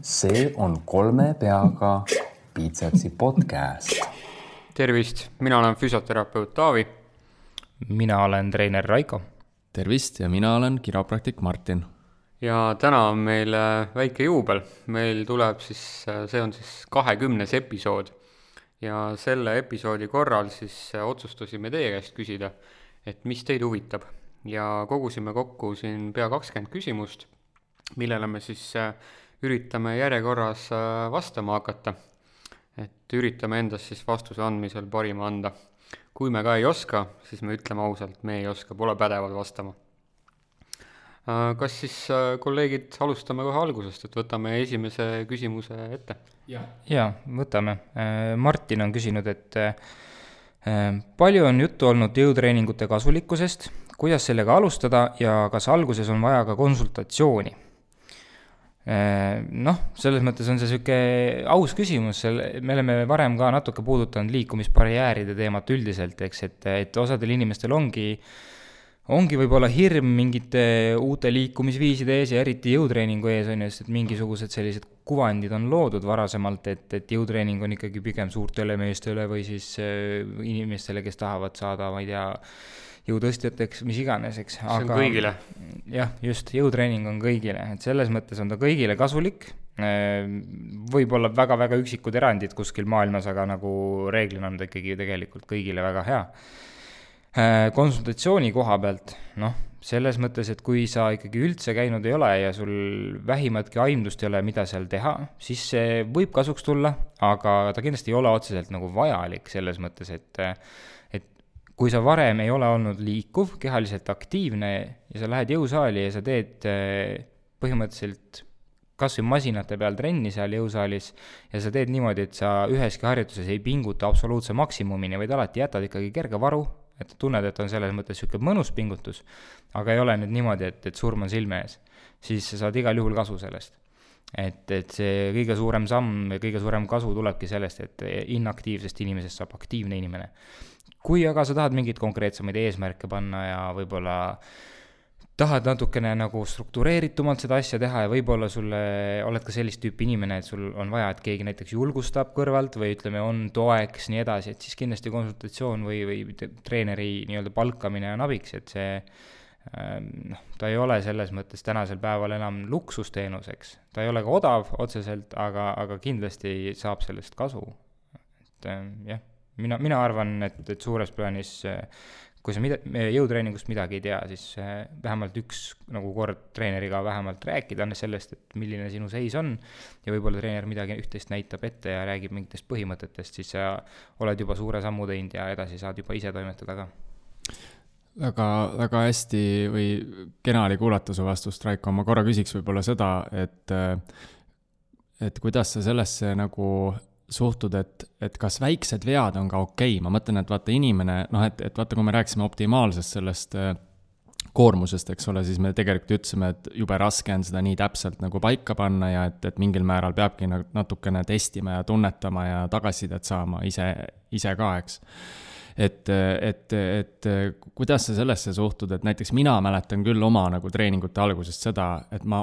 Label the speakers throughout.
Speaker 1: See on kolme peaga Biitsepsi podcast.
Speaker 2: Tervist, mina olen füsioterapeut Taavi.
Speaker 3: Mina olen treener Raiko.
Speaker 4: Tervist ja mina olen kiropraktik Martin.
Speaker 2: Ja täna on meil väike juubel. Meil tuleb see on 20. episood. Ja selle episoodi korral otsustasime teie käest küsida, et mis teid huvitab. Ja kogusime kokku siin pea 20 küsimust, millele me üritame järjekorras vastama hakata. Et üritame endast vastuse andmisel parima anda. Kui me ka ei oska, siis me ütleme ausalt, me ei oska, pole pädevad vastama. Kas kolleegid alustame kohe algusest, et võtame esimese küsimuse ette?
Speaker 3: Ja, võtame. Martin on küsinud, et palju on juttu olnud jõutreeningute kasulikkusest, kuidas sellega alustada ja kas alguses on vaja ka konsultatsiooni? Selles mõttes on see selline aus küsimus, me oleme varem ka natuke puudutanud liikumisbarjääride teemat üldiselt, eks, et osadel inimestel ongi võib-olla hirm mingite uute liikumisviiside ees ja eriti jõutreeningu ees on just, et mingisugused sellised kuvandid on loodud varasemalt, et jõutreening on ikkagi pigem suurtele meestele või siis inimestele, kes tahavad saada, ma ei tea, jõutõstjateks, mis iganes, eks.
Speaker 2: See on kõigile.
Speaker 3: Jah, just, jõutreening on kõigile, et selles mõttes on ta kõigile kasulik, võib-olla väga-väga üksikud erandid kuskil maailmas, aga nagu reeglina on ta ikkagi tegelikult kõigile väga hea. Konsultatsiooni koha pealt, selles mõttes, et kui sa ikkagi üldse käinud ei ole ja sul vähimatki aimdust ei ole, mida seal teha, siis see võib kasuks tulla, aga ta kindlasti ei ole otseselt nagu vajalik selles mõttes, et kui sa varem ei ole olnud liikuv, kehaliselt aktiivne ja sa lähed jõusaali ja sa teed põhimõtteliselt kas või masinate peal trenni seal jõusaalis ja sa teed niimoodi, et sa üheski harjutuses ei pinguta absoluutse maksimumini, vaid alati jätad ikkagi kerge varu, et tunned, et on selles mõttes selline mõnus pingutus, aga ei ole nüüd niimoodi, et surm on silme ees, siis sa saad igal juhul kasu sellest. Et see kõige suurem samm ja kõige suurem kasu tulebki sellest, et inaktiivsest inimesest saab aktiivne inimene. Kui aga sa tahad mingit konkreetsemaid eesmärke panna ja võib-olla tahad natukene nagu struktureeritumalt seda asja teha ja võib-olla sulle oled ka sellist tüüpi inimene, et sul on vaja, et keegi näiteks julgustab kõrvalt või ütleme, on toeks nii edasi, et siis kindlasti konsultatsioon või treeneri nii-öelda palkamine on abiks, et see ta ei ole selles mõttes tänasel päeval enam luksusteenuseks. Ta ei ole ka odav otseselt, aga kindlasti saab sellest kasu. Et jah. Mina arvan, et suures plaanis, kui sa jõutreeningust midagi ei tea, siis vähemalt üks nagu kord treeneriga vähemalt rääkida sellest, et milline sinu seis on ja võib-olla treener midagi üht-teist näitab ette ja räägib mingitest põhimõtetest, siis sa oled juba suure sammu teinud ja edasi saad juba ise toimetada ka.
Speaker 4: Väga hästi või kena oli kuulata su vastust, Raiko. Ma korra küsiks võib-olla seda, et kuidas sa sellesse nagu suhtud, et kas väiksed vead on ka okei. Ma mõtlen, et vaata inimene, et vaata, kui me rääksime optimaalsest sellest koormusest, eks ole, siis me tegelikult ütlesime, et jube raske on seda nii täpselt nagu paika panna ja et mingil määral peabki natukene testima ja tunnetama ja tagasisidet saama ise ka, eks. Et kuidas sa sellesse suhtud, et näiteks mina mäletan küll oma nagu treeningute algusest seda, et ma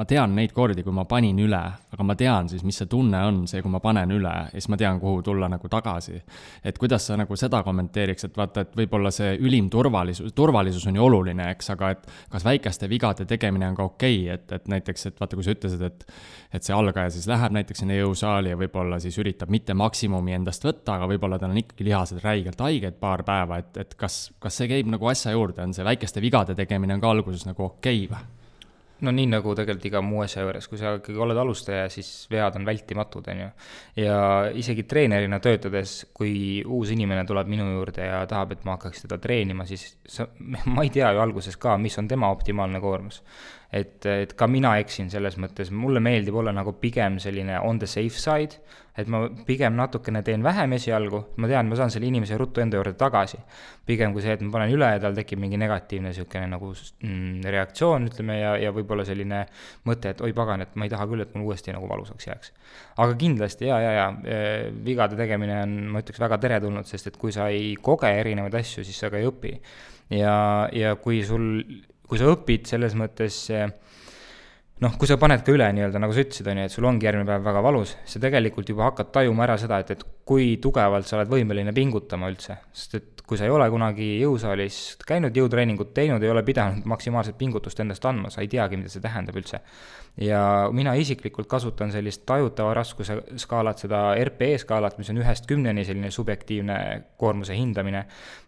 Speaker 4: tean neid kordi, kui ma panin üle, aga ma tean siis, mis see tunne on, see, kui ma panen üle ja siis ma tean, kuhu tulla nagu tagasi. Et kuidas sa nagu seda kommenteeriks, et vaata, et võib-olla see ülim turvalisus on ju oluline, eks, aga et kas väikeste vigade tegemine on ka okei, et näiteks, et vaata, kui sa ütlesid, et see algaja siis läheb näiteks sinna jõusaali ja võib-olla siis üritab mitte maksimumi endast võtta, aga võib-olla tal on ikkagi lihased räigelt haiged paar päeva, et kas see käib nagu asja juurde, on see väikeste vigade tegemine on ka alguses nagu okei või?
Speaker 3: No nii nagu tegelikult iga muu asja juures, kui sa ikkagi oled alustaja, siis vead on vältimatud, on ju. Ja isegi treenerina töötades, kui uus inimene tuleb minu juurde ja tahab, et ma hakkaks teda treenima, siis ma ei tea ju alguses ka, mis on tema optimaalne koormus. Et ka mina eksin selles mõttes, mulle meeldib olla nagu pigem selline on the safe side, et ma pigem natukene teen vähem esialgu, ma tean, ma saan selle inimese ruttu enda juurde tagasi. Pigem kui see, et ma panen üle ja tal tekib mingi negatiivne selline nagu reaktsioon, ütleme, ja võib-olla selline mõte, et oi pagan, et ma ei taha küll, et mul uuesti nagu valusaks jääks. Aga kindlasti, vigade tegemine on, ma ütleks, väga teretulnud, sest et kui sa ei koge erinevaid asju, siis sa ka ei õpi. Ja kui sa õpid selles mõttes noh, kui sa paned ka üle nii-öelda, nagu sa ütlesid, on ju, et sul ongi järgmine päev väga valus, sa tegelikult juba hakkad tajuma ära seda, et kui tugevalt sa oled võimeline pingutama üldse, sest et kui sa ei ole kunagi jõusaalis käinud, jõutreeningut teinud, ei ole pidanud maksimaalset pingutust endast andma, sa ei teagi, mida see tähendab üldse. Ja mina isiklikult kasutan sellist tajutava raskuse skaalat, seda RPE skaalat, mis on 1-10 selline subjektiivne koormuse hindamine,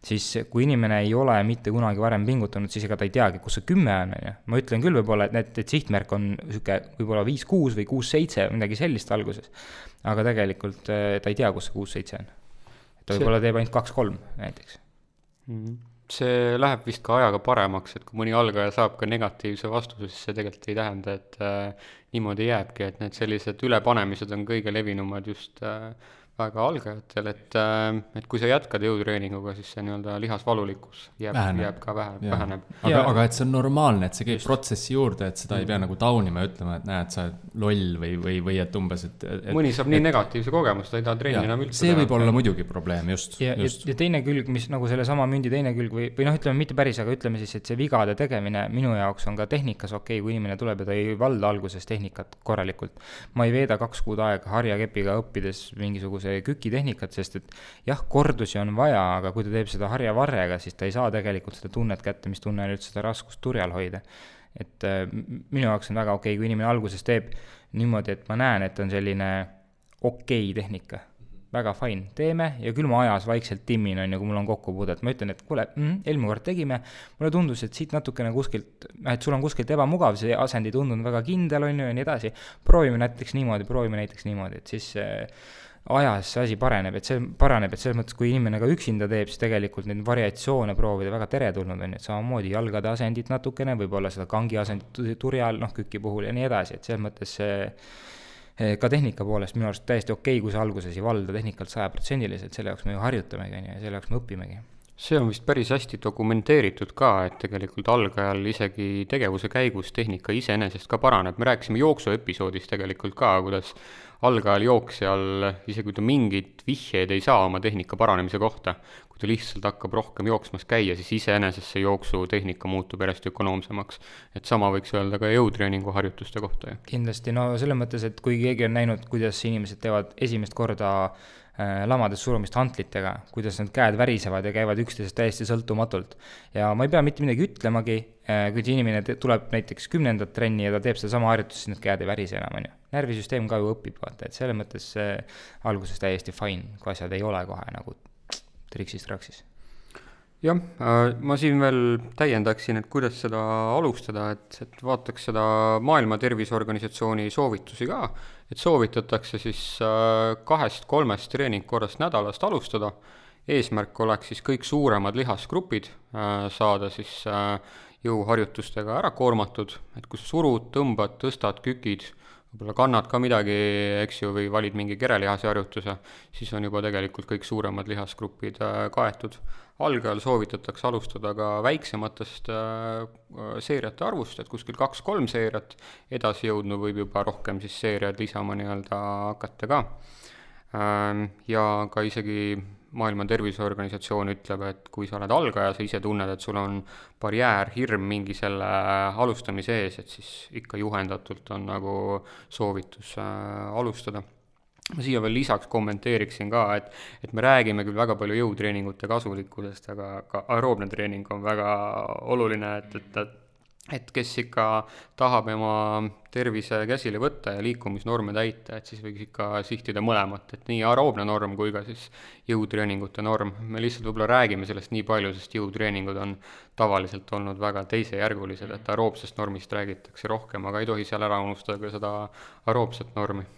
Speaker 3: siis kui inimene ei ole mitte kunagi varem pingutanud, siis ega ta ei teagi, kus see 10 on. Ma ütlen küll võib-olla, et sihtmärk on võib-olla 5-6 või 6-7, midagi sellist alguses, aga tegelikult ta ei tea, kus see 6-7 on. Ta võib-olla teeb ainult 2-3 näiteks.
Speaker 2: See läheb vist ka ajaga paremaks, et kui mõni algaja saab ka negatiivse vastuse, siis see tegelikult ei tähenda, et niimoodi jääbki, et need sellised ülepanemised on kõige levinumad just väga algajatel, et kui sa jätkad jõutreeninguga, siis see nii-öelda lihasvalulikkus jääb ka väheneb.
Speaker 4: Aga et see on normaalne, et see käib protsessi juurde, et seda ei pea nagu taunima ja ütlema, et näed, sa oled loll või et umbes, et
Speaker 2: mõni saab nii negatiivse kogemust, ta ei taha trenni enam üldse.
Speaker 4: See võib olla muidugi probleem, just.
Speaker 3: Ja teine külg, mis nagu selle sama mündi teine külg või noh, ütleme mitte päris, aga ütleme siis, et see vigade tegemine minu jaoks on ka tehnikas okei, kui inimene tuleb ja ta ei valda alguses tehnikat korralikult. Ma ei veeda 2 kuud aega harjakepiga õppides mingisuguse kükitehnikat, sest et jah, kordusi on vaja, aga kui ta teeb seda harjavarrega, siis ta ei saa tegelikult seda tunnet kätte, mis tunne on üldse seda raskust turjal hoida. Et minu jaoks on väga okei, kui inimene alguses teeb niimoodi, et ma näen, et on selline okei tehnika. Väga fine, teeme ja küll ma ajas vaikselt timmin on ja kui mul on kokkupuudet, ma ütlen, et kuule, eelmine kord tegime, mulle tundus, et siit natukene kuskilt, et sul on kuskilt ebamugav, see asend ei tundunud väga kindel on ju ja nii edasi, proovime näiteks niimoodi, et siis ajas see asi paraneb, et selles mõttes, kui inimene ka üksinda teeb, siis tegelikult neid variatsioone proovida väga teretulnud on, et samamoodi jalgade asendit natukene, võib-olla seda kangi asendit turjal, küki puhul ja nii edasi, et selles mõttes ka tehnika poolest minu arust täiesti okei, kui sa alguses ei valda tehnikalt 100%, selle jaoks me ju harjutamegi ja selle jaoks me õpimegi.
Speaker 2: See on vist päris hästi dokumenteeritud ka, et tegelikult algajal isegi tegevuse käigus tehnika iseenesest ka paraneb. Me rääkisime jooksuepisoodis tegelikult ka, kuidas algajal jooksjal, isegi kui ta mingit vihjeid ei saa oma tehnika paranemise kohta, kui ta lihtsalt hakkab rohkem jooksmas käia, siis iseenesest see jooksutehnika muutub järjest ökonoomsemaks. Et sama võiks öelda ka jõutreeningu harjutuste kohta.
Speaker 3: Kindlasti, no selles mõttes, et kui keegi on näinud, kuidas inimesed teevad esimest korda lamades surumist hantlitega, kuidas need käed värisevad ja käivad üksteisest täiesti sõltumatult. Ja ma ei pea mitte midagi ütlemagi, kui see inimene tuleb näiteks 10. trenni ja ta teeb seda sama harjutus, siis need käed ei värise enam, on ju. Närvisüsteem ka ju õpib, vaata, et selles mõttes alguses täiesti fine, kui asjad ei ole kohe nagu triksis-traksis.
Speaker 2: Jah, ma siin veel täiendaksin, et kuidas seda alustada, et vaataks seda Maailma Terviseorganisatsiooni soovitusi ka, et soovitatakse siis 2-3 treeningkorrast nädalast alustada. Eesmärk oleks siis kõik suuremad lihasgrupid saada siis jõuharjutustega ära koormatud, et kui surud, tõmbad, tõstad, kükid, võib-olla kannad ka midagi, eks ju, või valid mingi kerelihase harjutuse, siis on juba tegelikult kõik suuremad lihasgrupid kaetud. Algajal soovitatakse alustada ka väiksematest seeriate arvust, et kuskil 2-3 seeriat, edasi jõudnu võib juba rohkem siis seeriad lisama nii-öelda hakata ka. Ja ka isegi Maailma Terviseorganisatsioon ütleb, et kui sa oled algaja, sa ise tunned, et sul on barjäär, hirm mingi selle alustamise ees, et siis ikka juhendatult on nagu soovitus alustada. Ma siia veel lisaks kommenteeriksin ka, et me räägime küll väga palju jõutreeningute kasulikkusest, aga ka aeroobne treening on väga oluline, et kes ikka tahab oma tervise käsile võtta ja liikumisnorme täita, et siis võiks ikka sihtida mõlemat, et nii aeroobne norm kui ka siis jõutreeningute norm. Me lihtsalt võib-olla räägime sellest nii palju, sest jõutreeningud on tavaliselt olnud väga teisejärgulised, et aeroobsest normist räägitakse rohkem, aga ei tohi seal ära unustada ka seda aeroobset normi.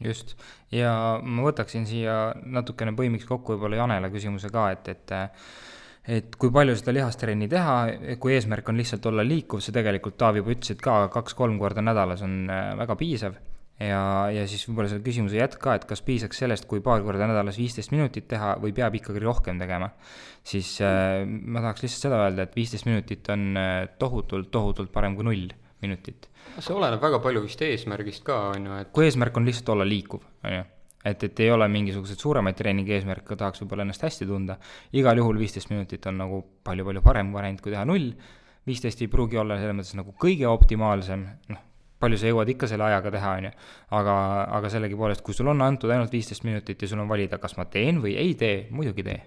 Speaker 3: Just, ja ma võtaksin siia natukene põimiks kokku võib-olla Janele küsimuse ka, et kui palju seda lihastrenni teha, kui eesmärk on lihtsalt olla liikuv, see tegelikult Taavi juba ütles, et ka 2-3 korda nädalas on väga piisav ja siis võib-olla selle küsimuse jätk ka, et kas piisaks sellest, kui paar korda nädalas 15 minutit teha või peab ikkagi rohkem tegema, siis ma tahaks lihtsalt seda öelda, et 15 minutit on tohutult parem kui 0 minutit.
Speaker 2: See oleneb väga palju vist eesmärgist ka, on ju, et
Speaker 3: kui eesmärk on lihtsalt olla liikuv, on ju, et ei ole mingisugused suuremaid treeningi eesmärke, tahaks võib-olla ennast hästi tunda, igal juhul 15 minutit on nagu palju parem variant kui teha 0, 15 ei pruugi olla selles mõttes nagu kõige optimaalsem, palju sa jõuad ikka selle ajaga teha, on ju. Aga sellegipoolest, kui sul on antud ainult 15 minutit ja sul on valida, kas ma teen või ei tee, muidugi tee.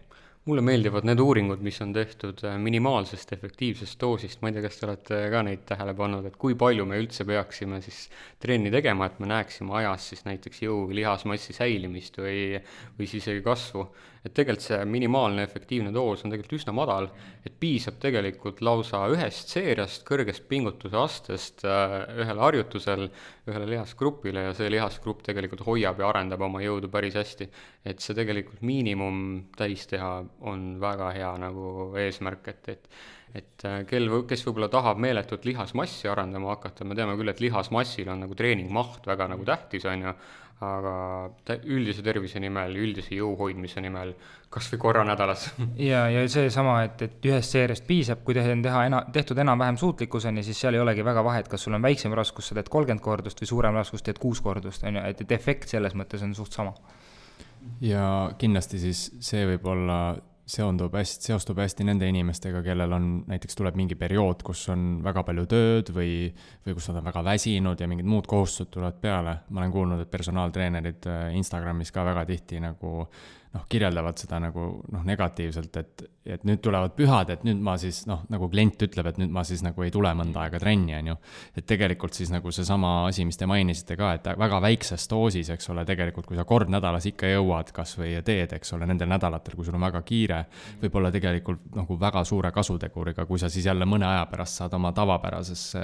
Speaker 2: Mulle meeldivad need uuringud, mis on tehtud minimaalsest efektiivsest doosist, ma ei tea, kas te olete ka neid tähele pannud, et kui palju me üldse peaksime siis trenni tegema, et me näeksime ajas siis näiteks jõu lihasmassi säilimist või siis isegi kasvu. Et tegelikult see minimaalne efektiivne doos on tegelikult üsna madal, et piisab tegelikult lausa ühest seeriast, kõrgest pingutuse astest ühele harjutusel, ühele lihasgrupile ja see lihasgrupp tegelikult hoiab ja arendab oma jõudu päris hästi. Et see tegelikult miinimum täis teha on väga hea nagu eesmärk, et kes võib-olla tahab meeletut lihasmassi arendama hakata, me teame küll, et lihasmassil on nagu treeningmaht väga nagu tähtis, on ju, aga üldise tervise nimel, üldise jõu hoidmise nimel, kas või korra nädalas.
Speaker 3: Ja see sama, et ühest seeriast piisab, kui tehtud enam-vähem suutlikkuseni, siis seal ei olegi väga vahet, kas sul on väiksem raskus, sa teed 30 kordust või suurem raskus, teed 6 kordust, on ju, et efekt selles mõttes on suht sama.
Speaker 4: Ja kindlasti siis see võib olla seostub hästi nende inimestega, kellel on, näiteks tuleb mingi periood, kus on väga palju tööd või kus nad on väga väsinud ja mingid muud kohustused tulevad peale. Ma olen kuulnud, et personaaltreenerid Instagramis ka väga tihti nagu kirjeldavad seda nagu negatiivselt, et nüüd tulevad pühad, et nüüd ma siis nagu klient ütleb, et nüüd ma siis nagu ei tule mõnda aega trenni, on ju. Et tegelikult siis nagu see sama asi, mis te mainisite ka, et väga väikses doosis, eks ole, tegelikult kui sa kord nädalas ikka jõuad kas või teed, eks ole, nendel nädalatel, kui sul on väga kiire, võib olla tegelikult nagu väga suure kasuteguriga, kui sa siis jälle mõne aja pärast saad oma tavapärasesse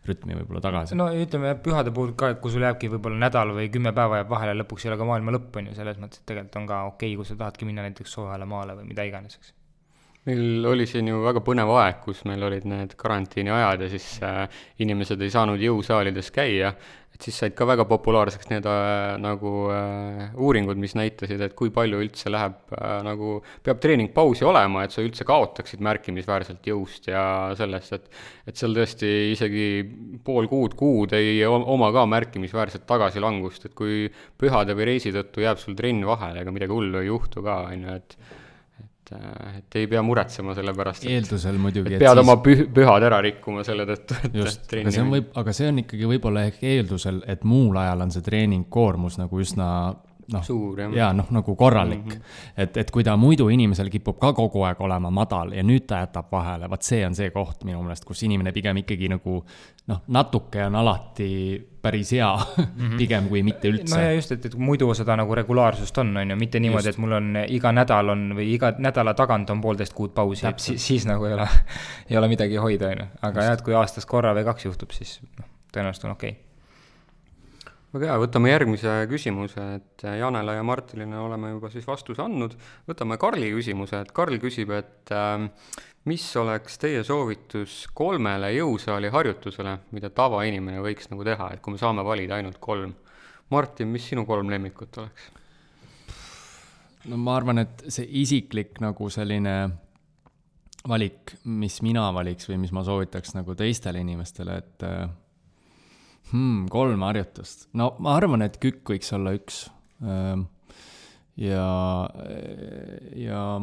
Speaker 4: rütmi võib-olla tagasi.
Speaker 3: No ütleme pühade puhul ka, et kui sul jääbki võib-olla nädal või 10 päeva jääb vahele, lõpuks ei ole ka maailma lõpp, on ju, selles mõttes, et tegelikult on ka okei, kui sa tahadki minna näiteks soojale maale või mida iganes, eks.
Speaker 2: Meil oli siin ju väga põnev aeg, kus meil olid need karantiini ajad ja siis inimesed ei saanud jõusaalides käia, et siis said ka väga populaarseks need uuringud, mis näitasid, et kui palju üldse peab treeningpausi olema, et sa üldse kaotaksid märkimisväärselt jõust ja sellest, et seal tõesti isegi pool kuud ei oma ka märkimisväärselt tagasilangust, et kui pühade või reisi tõttu jääb sul trenn vahele, ega midagi hullu ei juhtu ka, et ei pea muretsema selle pärast,
Speaker 4: eeldusel muidugi,
Speaker 2: et pead oma pühad ära rikkuma selle tõttu, et
Speaker 4: just, aga see on ikkagi võib-olla ehk eeldusel, et muul ajal on see treeningkoormus nagu üsna
Speaker 2: suur,
Speaker 4: ja nagu korralik, et kui ta muidu inimesel kipub ka kogu aeg olema madal ja nüüd ta jätab vahele, vaat see on see koht minu meelest, kus inimene pigem ikkagi nagu natuke on alati päris hea pigem kui mitte üldse.
Speaker 3: No ja just, et muidu seda nagu regulaarsust on ju, mitte niimoodi, et mul on iga nädal on või iga nädala tagant on 1,5 kuud pausi, siis nagu ei ole midagi hoida, aga jah, et kui aastas korra või 2 juhtub, siis tõenäoliselt on okei.
Speaker 2: Väga hea, võtame järgmise küsimuse, et Janele ja Martinile oleme juba siis vastuse andnud. Võtame Karli küsimuse, et Karl küsib, et mis oleks teie soovitus 3 jõusaali harjutusele, mida tavainimene võiks nagu teha, et kui me saame valida ainult 3. Martin, mis sinu 3 lemmikut oleks?
Speaker 4: No ma arvan, et see isiklik nagu selline valik, mis mina valiks või mis ma soovitaks nagu teistele inimestele, et 3 harjutust. No ma arvan, et kükk võiks olla 1. Ja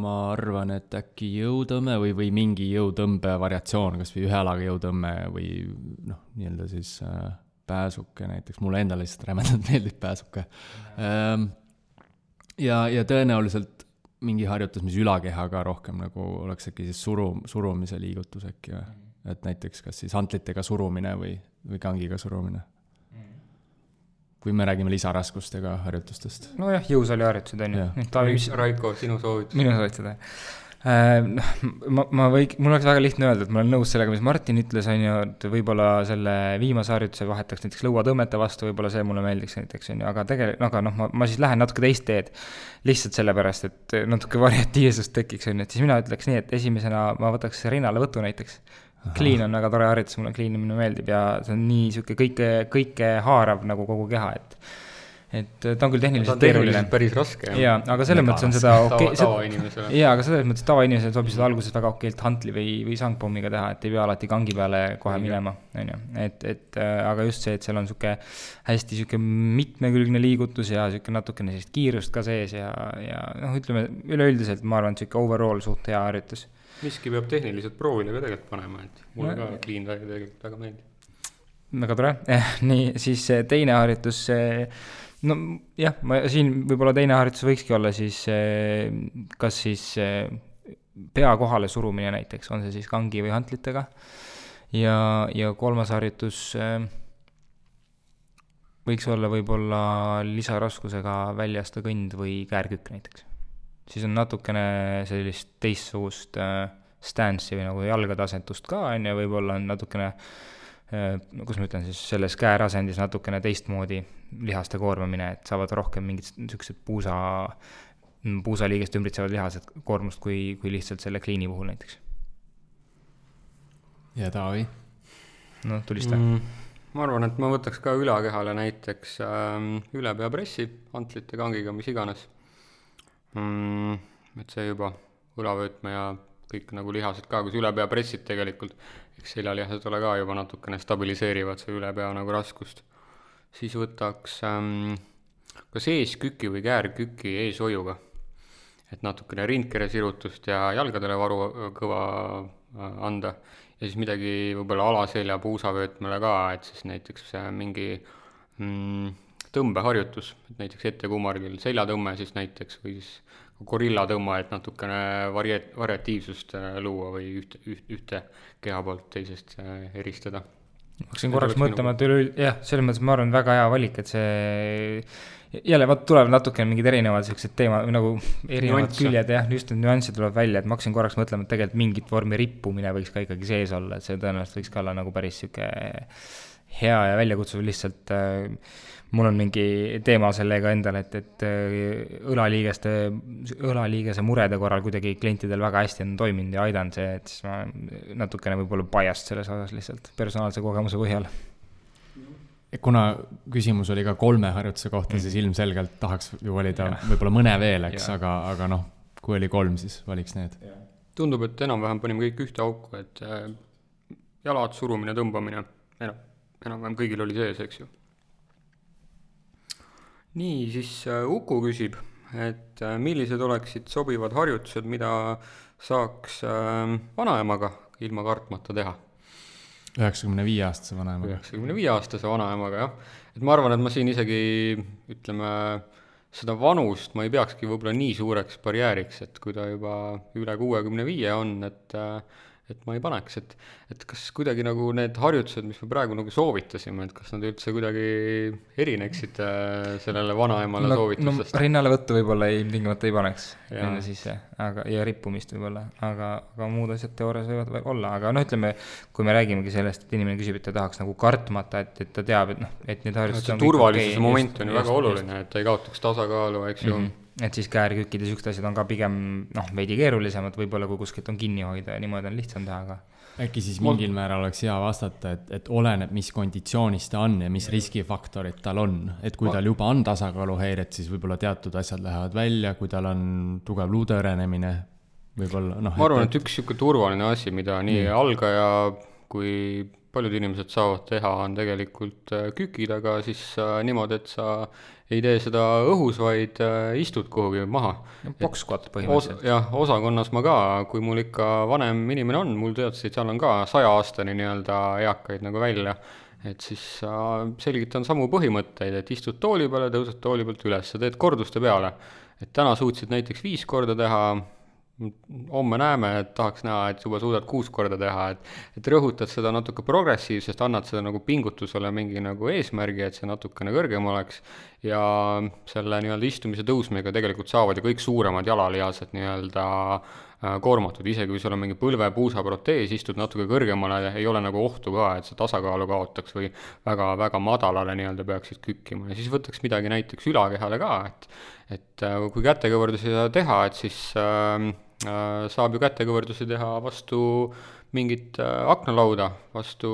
Speaker 4: ma arvan, et äkki jõutõmme või mingi jõutõmbe variatsioon, kas või 1 jalaga jõutõmme või nii-öelda siis pääsuke näiteks. Mulle endale lihtsalt rämedalt meeldib pääsuke. Ja tõenäoliselt mingi harjutus, mis ülakehaga rohkem nagu oleks äkki siis surumise liigutus äkki. Et näiteks kas siis hantlitega surumine või kangiga surumine. Kui me räägime lisaraskustega harjutustest.
Speaker 3: No jah, jõusaali harjutused on ju.
Speaker 2: Raiko, sinu soovitus?
Speaker 3: Minu soovitused. Mul oleks väga lihtne öelda, et ma olen nõus sellega, mis Martin ütles, on ju, et võib-olla selle viimase harjutuse vahetaks näiteks lõuatõmmete vastu, võib-olla see mulle meeldiks näiteks, on ju, aga tegelikult, ma siis lähen natuke teist teed lihtsalt sellepärast, et natuke variatiivsust tekiks, on ju, et siis mina ütleks nii, et esimesena ma võtaks rinnale võtu näiteks. Clean on väga tore harjutus, mulle cleanimine meeldib ja see on nii siuke kõike haarav nagu kogu keha, et ta on küll tehniliselt keeruline.
Speaker 2: Päris raske.
Speaker 3: Ja, aga selles mõttes on seda
Speaker 2: tavainimesele.
Speaker 3: Ja, aga selles mõttes tavainimesele sobib seda alguses väga okeilt hantli või sangpommiga teha, et ei pea alati kangi peale kohe minema, on ju. Aga just see, et seal on siuke hästi siuke mitmekülgne liigutus ja siuke natukene sellist kiirust ka sees ja ütleme üleüldiselt ma arvan, et siuke overall suht hea harjutus.
Speaker 2: Miski peab tehniliselt proovile ka tegelikult panema, et mulle ka clean tegelikult väga meeldib.
Speaker 3: väga tore. Nii, siis teine harjutus, no jah, ma siin võib-olla teine harjutus võikski olla siis kas siis pea kohale surumine näiteks, on see siis kangi või hantlitega. Ja kolmas harjutus võiks olla võib-olla lisaraskusega väljasta kõnd või käärkükk näiteks. Siis on natukene sellist teistsugust stance'i või nagu jalgade asendust ka, ja võib-olla on natukene, kus ma ütlen siis, selles käärasendis natukene teistmoodi lihaste koormamine, et saavad rohkem mingid niisugused puusaliigest ümbritsevad lihased koormust kui lihtsalt selle kliini puhul näiteks.
Speaker 4: Ja Taavi?
Speaker 3: No tulista.
Speaker 2: Ma arvan, et ma võtaks ka ülakehale näiteks ülepeapressi, hantlite kangiga, mis iganes. Et see juba õlavöötme ja kõik nagu lihased ka, kus ülepeapressid tegelikult, eks seljalihased ole ka juba natukene stabiliseerivad see ülepea nagu raskust. Siis võtaks kas eesküki või käärküki eeshoiuga, et natukene rindkere sirutust ja jalgadele varu kõva anda. Ja siis midagi võib-olla alaselja puusavöötmele ka, et siis näiteks mingi tõmbeharjutus, et näiteks ettekumargil seljatõmme siis näiteks või siis gorillatõmme, et natukene variatiivsust luua või ühte keha poolt teisest eristada.
Speaker 3: Ma hakkasin korraks mõtlema, et jah, selles mõttes ma arvan väga hea valik, et see jälle tuleb natukene mingid erinevad sellised teema, nagu erinevad küljed, jah, just need nüansid tuleb välja, et ma hakkasin korraks mõtlema, et tegelikult mingit vormi rippumine võiks ka ikkagi sees olla, et see tõenäoliselt võiks ka olla nagu päris siuke hea ja väljakutsuv lihtsalt. Mul on mingi teema sellega endal, et õlaliigese murede korral kuidagi klientidel väga hästi on toiminud ja aidanud see, et siis ma natukene võib-olla biased selles osas lihtsalt personaalse kogemuse põhjal.
Speaker 4: Kuna küsimus oli ka 3 harjutuse kohta, siis ilmselgelt tahaks ju valida võib-olla mõne veel, eks, aga noh, kui oli 3, siis valiks need.
Speaker 2: Tundub, et enam-vähem panime kõik ühte auku, et jalad, surumine, tõmbamine, enam-vähem kõigil oli sees, eks ju. Nii, siis Uku küsib, et millised oleksid sobivad harjutused, mida saaks vanaemaga ilma kartmata teha?
Speaker 4: 95-aastase vanaemaga.
Speaker 2: 95-aastase vanaemaga, jah. Et ma arvan, et ma siin isegi, ütleme, seda vanust ma ei peakski võib-olla nii suureks barjääriks, et kui ta juba üle 65 on, et ma ei paneks, et kas kuidagi nagu need harjutused, mis me praegu nagu soovitasime, et kas nad üldse kuidagi erineksid sellele vanaemale soovitusest?
Speaker 3: No rinnale võttu võib-olla tingimata ei paneks enne sisse, ja rippumist võib-olla, aga muud asjad teoorias võivad olla, aga no ütleme, kui me räägimegi sellest, et inimene küsib, et ta tahaks nagu kartmata, et ta teab, et need harjutused on
Speaker 2: turvalisuse moment on ju väga oluline, et ta ei kaotaks tasakaalu, eks ju.
Speaker 3: Et siis käärkükkid ja sükst asjad on ka pigem veidi keerulisemad, võib-olla kui kuskilt on kinni hoida ja niimoodi on lihtsam teha, aga
Speaker 4: äkki siis mingil määral oleks hea vastata, et oleneb, mis konditsioonis ta on ja mis riskifaktorid tal on. Et kui tal juba on tasakaaluhäired, siis võib-olla teatud asjad lähevad välja, kui tal on tugev luudeõrenemine, võib-olla
Speaker 2: ma arvan, et üks siuke turvaline asi, mida nii algaja kui paljud inimesed saavad teha, on tegelikult kükid, aga siis niimoodi, et sa ei tee seda õhus, vaid istud kuhugi maha.
Speaker 3: Box squat põhimõtteliselt.
Speaker 2: Jah, osakonnas ma ka, kui mul ikka vanem inimene on, mul teadsid, seal on ka 100-aastani nii-öelda eakaid nagu välja, et siis selgitan samu põhimõtteid, et istud tooli peale, tõused tooli pealt üles, sa teed korduste peale. Et täna suutsid näiteks 5 korda teha, homme näeme, et tahaks näha, et juba suudad 6 korda teha, et rõhutad seda natuke progressiivsest, annad seda nagu pingutusele mingi nagu eesmärgi, et see natukene kõrgem oleks ja selle nii-öelda istumise tõusmega tegelikult saavad ju kõik suuremad jalalihased nii-öelda koormatud, isegi kui sul on mingi põlve-puusaprotees, istud natuke kõrgemale, ei ole nagu ohtu ka, et see tasakaalu kaotaks või väga madalale nii-öelda peaksid kükkima ja siis võtaks midagi näiteks ülakehale ka, et kui kätekõverdusi teha, et siis saab ju kätekõverdusi teha vastu mingit aknalauda, vastu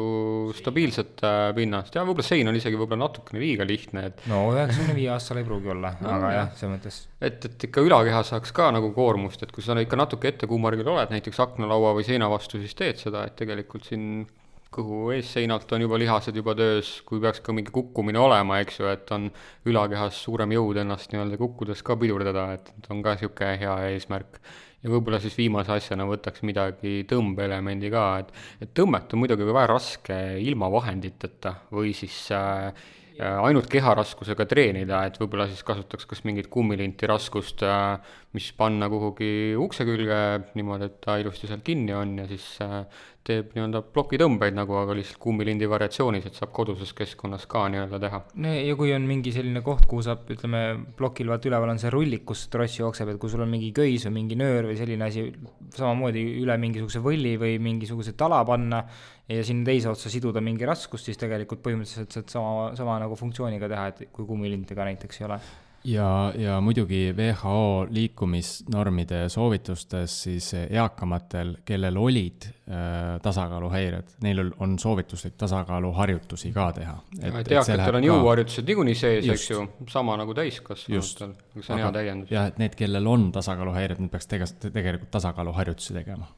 Speaker 2: stabiilset pinnast ja võib-olla sein on isegi võib-olla natukene liiga lihtne.
Speaker 3: No 95 aastal ei pruugi olla, aga jah, see mõttes.
Speaker 2: Et ikka ülakeha saaks ka nagu koormust, et kui sa ikka natuke ettekuumargil oled, näiteks aknalaua või seina vastu, siis teed seda, et tegelikult siin kõhu eesseinalt on juba lihased juba töös, kui peaks ka mingi kukkumine olema, eks ju, et on ülakehas suurem jõud ennast nii-öelda kukkudes ka pidurdada, et on ka siuke hea eesmärk. ja võib-olla siis viimase asjana võtaks midagi tõmbeelemendi ka, et tõmmet on muidugi väga raske ilma vahenditeta või siis ainult keharaskusega treenida, et võib-olla siis kasutaks kas mingit kummilinti raskust, mis panna kuhugi ukse külge niimoodi, et ta ilusti seal kinni on ja siis teeb nii-öelda plokitõmbeid nagu, aga lihtsalt kummilindi variatsioonis, et saab koduses keskkonnas ka nii-öelda teha.
Speaker 3: Ja kui on mingi selline koht, kuhu saab, ütleme, plokil vaat üleval on see rullik, kus tross jookseb, et kui sul on mingi köis või mingi nöör või selline asi, samamoodi üle mingisuguse võlli või mingisuguse tala panna ja sinna teise otsa siduda mingi raskust, siis tegelikult põhimõtteliselt saad sama nagu funktsiooniga teha, et kui kummilintega näiteks ei ole.
Speaker 4: Ja muidugi WHO liikumisnormide soovitustes siis eakamatel, kellel olid tasakaaluhäired, neil on soovituslik tasakaaluharjutusi ka teha.
Speaker 2: Et eakatel on jõuharjutused niikuinii sees, eks ju, sama nagu täiskasvanutel, see on hea täiendus.
Speaker 4: Ja et need, kellel on tasakaaluhäired, need peaks tegelikult tasakaaluharjutusi tegema.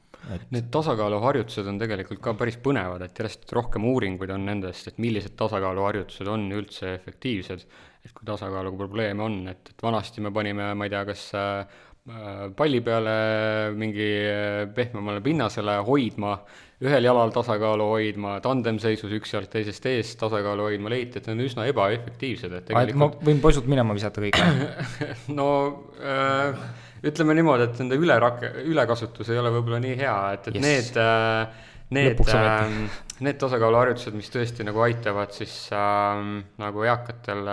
Speaker 2: Need tasakaaluharjutused on tegelikult ka päris põnevad, et järjest rohkem uuringuid on nendest, et millised tasakaaluharjutused on üldse efektiivsed, et kui tasakaaluga probleeme on, et vanasti me panime, ma ei tea, kas palli peale mingi pehmemale pinnasele hoidma, ühel jalal tasakaalu hoidma, tandemseisus üks jalg teisest eest tasakaalu hoidma, leiti, et need on üsna ebaefektiivsed. Et tegelikult...
Speaker 3: Ma võin poisult minema visata kõik.
Speaker 2: No ütleme niimoodi, et nende ülekasutus ei ole võib-olla nii hea, et yes. Need tasakaaluharjutused, mis tõesti nagu aitavad siis nagu eakatel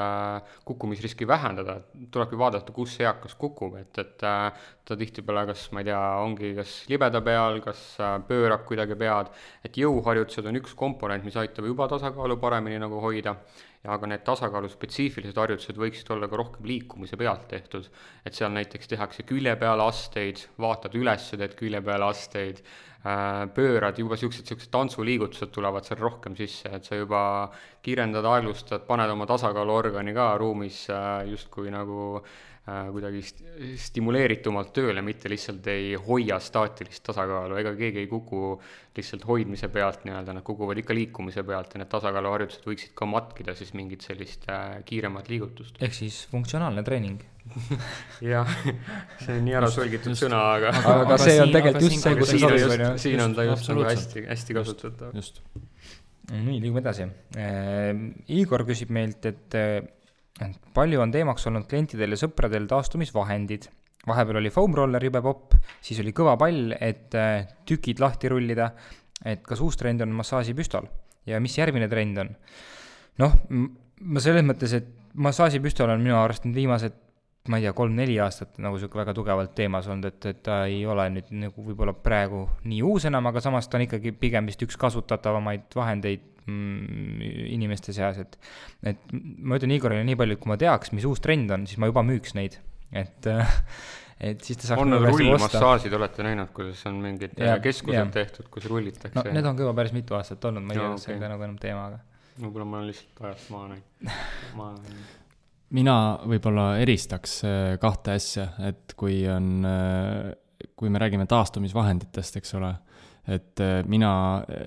Speaker 2: kukkumisriski vähendada, tulebki vaadata, kus eakas kukub, et ta tihtipeale kas, ma ei tea, ongi kas libeda peal, kas pöörab kuidagi pead, et jõuharjutused on üks komponent, mis aitab juba tasakaalu paremini nagu hoida, ja aga need tasakaalu spetsiifilised harjutused võiksid olla ka rohkem liikumise pealt tehtud, et seal näiteks tehakse külje peale asteid, vaatad üles, teed külje peale asteid, pöörad, juba siuksed tantsuliigutused tulevad seal rohkem sisse, et sa juba kiirendad, aeglustad, paned oma tasakaaluorgani ka ruumis justkui nagu kuidagi stimuleeritumalt tööle, mitte lihtsalt ei hoia staatilist tasakaalu, ega keegi ei kuku lihtsalt hoidmise pealt nii-öelda, nad kukuvad ikka liikumise pealt ja need tasakaaluharjutused võiksid ka matkida siis mingit sellist kiiremat liigutust.
Speaker 3: Ehk siis funktsionaalne treening.
Speaker 2: Jah, see on nii ära solgitud sõna, aga
Speaker 3: see on tegelikult just see, kus see sobib.
Speaker 2: Siin on ta just nagu hästi kasutatav.
Speaker 4: Just.
Speaker 3: Nii, liigume edasi. Igor küsib meilt, et palju on teemaks olnud klientidel ja sõpradel taastumisvahendid. Vahepeal oli foam roller jube popp, siis oli kõva pall, et tükid lahti rullida, et kas uus trend on massaažipüstol ja mis järgmine trend on? Noh, ma selles mõttes, et massaažipüstol on minu arust nüüd viimased, ma ei tea, 3-4 aastat nagu väga tugevalt teemas olnud, et ta ei ole nüüd nagu võib-olla praegu nii uus enam, aga samas ta on ikkagi pigem vist üks kasutatavamaid vahendeid inimeste seas, et ma ütlen Igorile nii palju, et kui ma teaks, mis uus trend on, siis ma juba müüks neid, et siis ta saaks
Speaker 2: on need rullmassaažid, olete näinud, kuidas on mingid keskused tehtud, kus rullitakse?
Speaker 3: No need on juba päris mitu aastat olnud, ma ei tea, kas see on nagu enam teema, aga
Speaker 2: võib-olla ma olen lihtsalt ajast maha näinud.
Speaker 4: Mina võib-olla eristaks kahte asja, et kui me räägime taastumisvahenditest, eks ole, et mina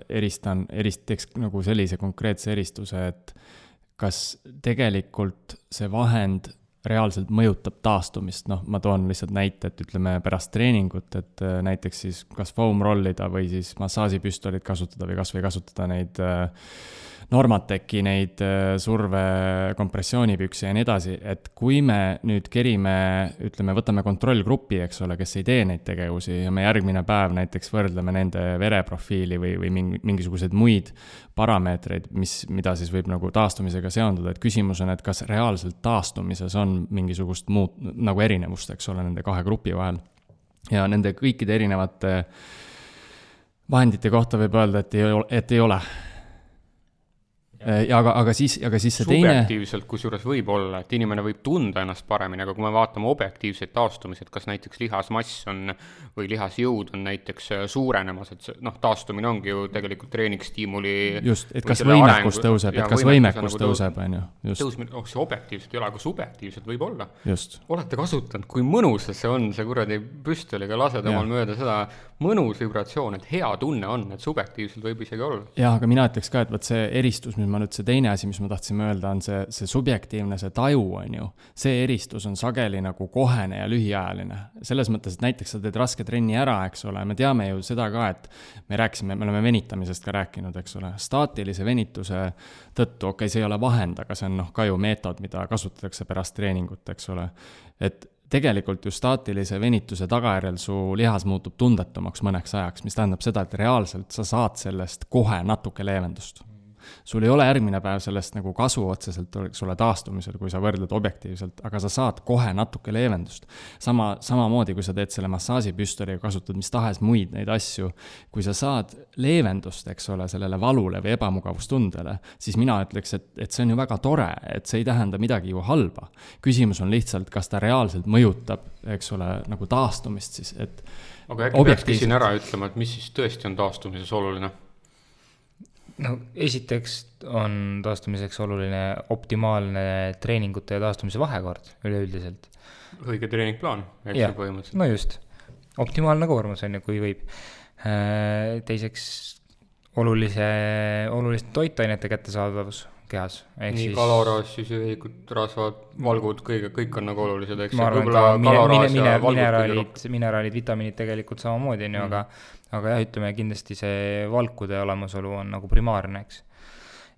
Speaker 4: teeks nagu sellise konkreetse eristuse, et kas tegelikult see vahend reaalselt mõjutab taastumist, ma toon lihtsalt näite, et ütleme pärast treeningut, et näiteks siis kas foam rollida või siis massaažipüstolit kasutada või kas või kasutada neid Normateki, neid surve kompressioonipüksi ja nii edasi, et kui me nüüd kerime, ütleme, võtame kontrollgrupi, eks ole, kes ei tee neid tegevusi ja me järgmine päev näiteks võrdleme nende vereprofiili või mingisuguseid muid parameetreid, mida siis võib nagu taastumisega seonduda, et küsimus on, et kas reaalselt taastumises on mingisugust muud nagu erinevust, eks ole, nende kahe grupi vahel. Ja nende kõikide erinevate vahendite kohta võib öelda, et ei ole. Ja aga siis see teine...
Speaker 2: Subjektiivselt kusjuures võib olla, et inimene võib tunda ennast paremini, aga kui me vaatame objektiivseid taastumised, kas näiteks lihasmass on või lihasjõud on näiteks suurenemas, et taastumine ongi ju tegelikult treeningstiimuli...
Speaker 4: Just, et kas võimekus tõuseb, tõuseb, on ju.
Speaker 2: Tõusmine, see objektiivselt ei ole, aga subjektiivselt võib olla.
Speaker 4: Just.
Speaker 2: Olete kasutanud, kui mõnus see on, see kuradi püstoliga lased omal mööda seda mõnus vibratsioon, et hea tunne on, et subjektiivselt võib isegi olla.
Speaker 4: Ja, aga mina ütleks ka, et võt see eristus, mis ma nüüd see teine asi, mis ma tahtsin öelda, on see subjektiivne, see taju on ju, see eristus on sageli nagu kohene ja lühiajaline. Selles mõttes, et näiteks sa teed raske trenni ära, eks ole, me teame ju seda ka, et me oleme venitamisest ka rääkinud, eks ole, staatilise venituse tõttu, okei, see ei ole vahend, aga see on ka ju meetod, mida kasutatakse pärast treeningut, eks ole, et tegelikult ju staatilise venituse tagajärjel su lihas muutub tundetumaks mõneks ajaks, mis tähendab seda, et reaalselt sa saad sellest kohe natuke leevendust. Sul ei ole järgmine päev sellest nagu kasu otseselt, eks ole, taastumisel, kui sa võrdled objektiivselt, aga sa saad kohe natuke leevendust. Samamoodi, kui sa teed selle massaažipüstoliga, kasutad mis tahes muid neid asju, kui sa saad leevendust, eks ole, sellele valule või ebamugavustundele, siis mina ütleks, et see on ju väga tore, et see ei tähenda midagi ju halba. Küsimus on lihtsalt, kas ta reaalselt mõjutab, eks ole, nagu taastumist siis, et
Speaker 2: aga äkki peakski siin ära ütlema, et mis siis tõesti on taastumises oluline?
Speaker 3: No esiteks on taastumiseks oluline optimaalne treeningute ja taastumise vahekord üleüldiselt.
Speaker 2: Õige treeningplaan, eks ju põhimõtteliselt.
Speaker 3: No just, optimaalne koormus on ju, kui võib. Teiseks oluliste toitainete kättesaadavus kehas.
Speaker 2: Nii kaloraas, süsivõikud, rasvad, valgud, kõik on nagu olulised, eks.
Speaker 3: Ma arvan, ka mineraalid, vitamiinid tegelikult samamoodi, aga jah, ütleme kindlasti see valkude olemasolu on nagu primaarne, eks.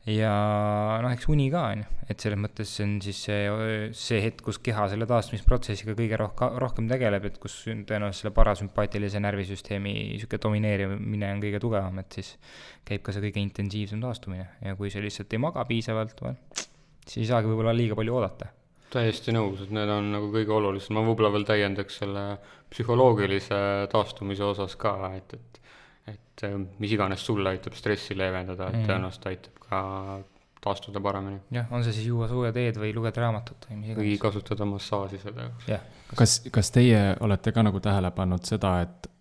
Speaker 3: Ja eks uni ka on, et selles mõttes see on siis see hetk, kus keha selle taastumisprotsessiga kõige rohkem tegeleb, et kus tõenäoliselt selle parasümpaatilise närvisüsteemi siuke domineerimine on kõige tugevam, et siis käib ka see kõige intensiivsem taastumine ja kui see lihtsalt ei maga piisavalt, siis ei saagi võib-olla liiga palju oodata.
Speaker 2: Täiesti nõus, et need on nagu kõige olulisem. Ma võib-olla veel täiendaks selle psühholoogilise taastumise osas ka, et mis iganes sulle aitab stressi leevendada, et tõenäoliselt aitab ka taastuda paremini.
Speaker 3: Jah, on see siis juua sooja teed või lugeda raamatut
Speaker 2: või kasutada massaaži seda.
Speaker 4: Kas teie olete ka nagu tähele pannud seda, et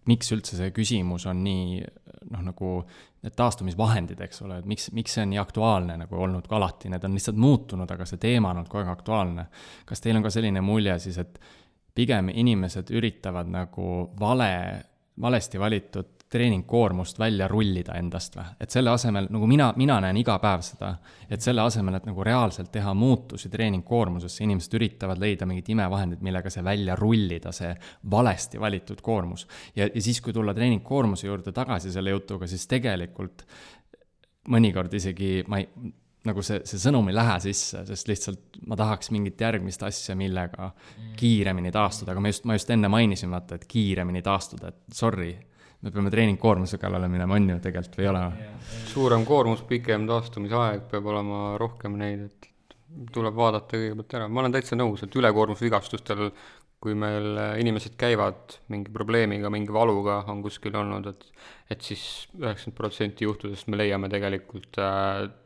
Speaker 4: miks üldse see küsimus on nii, nagu need taastumisvahendid, eks ole, et miks see on nii aktuaalne nagu olnud ka alati, need on lihtsalt muutunud, aga see teema on olnud kogu aeg aktuaalne. Kas teil on ka selline mulje siis, et pigem inimesed üritavad nagu valesti valitud treeningkoormust välja rullida endast või? Et selle asemel, nagu mina näen iga päev seda, et selle asemel, et nagu reaalselt teha muutusi treeningkoormusesse, inimesed üritavad leida mingid imevahendid, millega see välja rullida, see valesti valitud koormus. Ja siis, kui tulla treeningkoormuse juurde tagasi selle jutuga, siis tegelikult mõnikord isegi nagu see sõnum ei lähe sisse, sest lihtsalt ma tahaks mingit järgmist asja, millega kiiremini taastuda, aga ma just enne mainisin, vaata, et kiiremini taastuda, et sorry, me peame treeningkoormuse kallale minema, on ju tegelikult või ei ole?
Speaker 2: Suurem koormus, pikem taastumisaeg, peab olema rohkem neid, et tuleb vaadata kõigepealt ära. Ma olen täitsa nõus, et ülekoormusvigastustel, kui meil inimesed käivad mingi probleemiga, mingi valuga on kuskil olnud, et siis 90% juhtudest me leiame tegelikult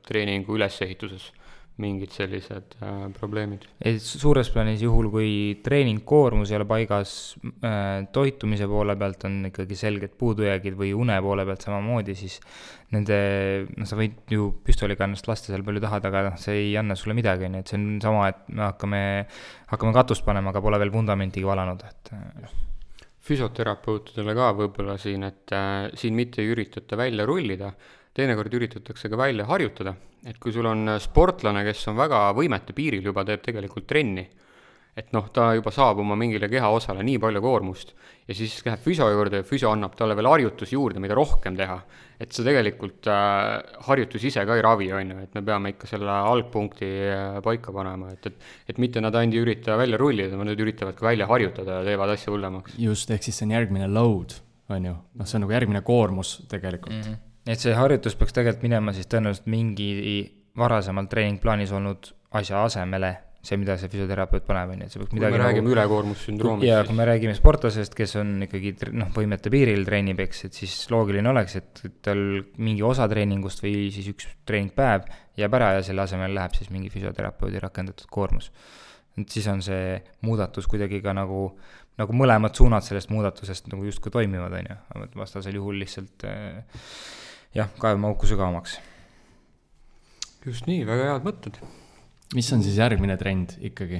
Speaker 2: treeningu ülesehituses mingid sellised probleemid.
Speaker 3: Suures plaanis juhul, kui treeningkoormus ei ole paigas, toitumise poole pealt on ikkagi selged puudujäägid või une poole pealt samamoodi, siis sa võid ju püstoliga ennast lasta seal palju tahad, aga see ei anna sulle midagi, nii et see on sama, et me hakkame katust panema, aga pole veel fundamentigi valanud.
Speaker 2: Füsioterapeutidele ka võib-olla siin, et siin mitte ei üritata välja rullida, teinekord üritatakse ka välja harjutada, et kui sul on sportlane, kes on väga võimete piiril juba, teeb tegelikult trenni, et ta juba saab oma mingile kehaosale nii palju koormust ja siis läheb füsio juurde ja füsio annab talle veel harjutusi juurde, mida rohkem teha, et see tegelikult harjutus ise ka ei ravi, on ju, et me peame ikka selle algpunkti paika panema, et mitte nad ainult ürita välja rullida, nad üritavad ka välja harjutada ja teevad asja hullemaks.
Speaker 4: Just, ehk siis see on järgmine load, on ju, see on nagu järgmine koormus tegelikult.
Speaker 3: Et see harjutus peaks tegelikult minema siis tõenäoliselt mingi varasemalt treeningplaanis olnud asja asemele, see, mida see füsioterapeut paneb, on ju, et see peaks midagi
Speaker 2: kui me räägime ülekoormussündroomist.
Speaker 3: Ja kui me räägime sportlasest, kes on ikkagi võimete piiril treenib, eks, et siis loogiline oleks, et tal mingi osa treeningust või siis üks treeningpäev jääb ära ja selle asemel läheb siis mingi füsioterapeudi rakendatud koormus. Et siis on see muudatus kuidagi ka nagu mõlemad suunad sellest muudatusest nagu justkui toimivad, on ju, vastasel juhul lihtsalt kaevame auku sügavamaks.
Speaker 2: Just nii, väga head mõtted.
Speaker 4: Mis on siis järgmine trend ikkagi?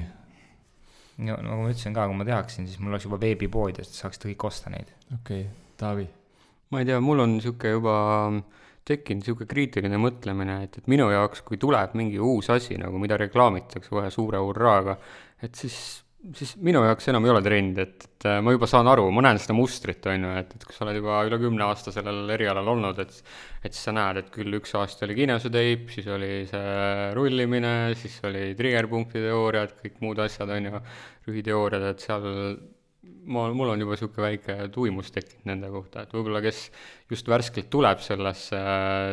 Speaker 3: Nagu ma ütlesin ka, kui ma tehaksin, siis mul oleks juba veebipood ja saaks kõik osta neid.
Speaker 4: Okei, Taavi?
Speaker 2: Ma ei tea, mul on siuke juba tekkinud niisugune kriitiline mõtlemine, et minu jaoks, kui tuleb mingi uus asi, nagu mida reklaamitakse kohe suure hurraaga, et siis minu jaoks enam ei ole trend, et ma juba saan aru, ma näen seda mustrit, on ju, et kui sa oled juba üle 10 aasta sellel erialal olnud, et siis sa näed, et küll üks aasta oli kinesoteip, siis oli see rullimine, siis oli triggerpunkti teooriad, kõik muud asjad, on ju, rühiteooriad, et seal mul on juba niisugune väike tuimus tekkinud nende kohta, et võib-olla kes just värskelt tuleb sellesse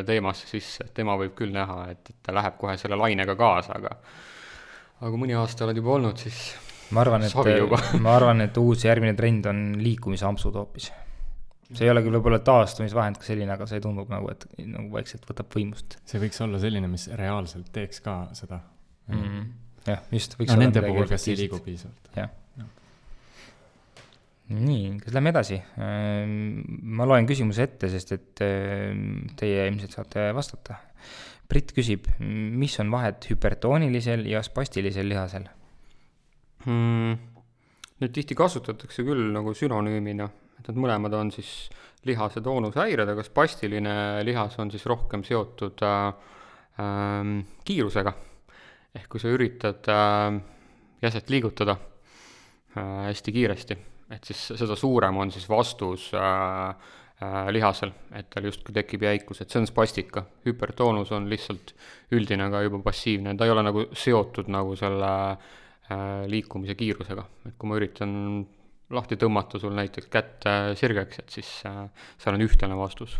Speaker 2: teemasse sisse, et tema võib küll näha, et ta läheb kohe selle lainega kaasa, aga kui mõni aasta oled juba olnud, siis
Speaker 3: ma arvan, et uus järgmine trend on liikumisampsud hoopis. See ei ole küll võib-olla taastumisvahend ka selline, aga see tundub nagu, et nagu vaikselt võtab võimust.
Speaker 4: See võiks olla selline, mis reaalselt teeks ka seda.
Speaker 3: Jah, just.
Speaker 4: No nende puhul, kes ei liigu piisavalt.
Speaker 3: Jah. Nii, kas lähme edasi? Ma loen küsimuse ette, sest et teie ilmselt saate vastata. Brit küsib, mis on vahet hüpertoonilisel ja spastilisel lihasel?
Speaker 2: Nüüd tihti kasutatakse küll nagu sünonüümina, et need mõlemad on siis lihase toonushäired, aga spastiline lihas on siis rohkem seotud kiirusega. Ehk kui sa üritad jäset liigutada hästi kiiresti, et siis seda suurem on siis vastus lihasel, et tal justkui tekib jäikus, et see on spastika. Hüpertoonus on lihtsalt üldine, aga juba passiivne, ta ei ole nagu seotud nagu selle liikumise kiirusega, et kui ma üritan lahti tõmmata sul näiteks kätt sirgeks, et siis seal on ühtlane vastus.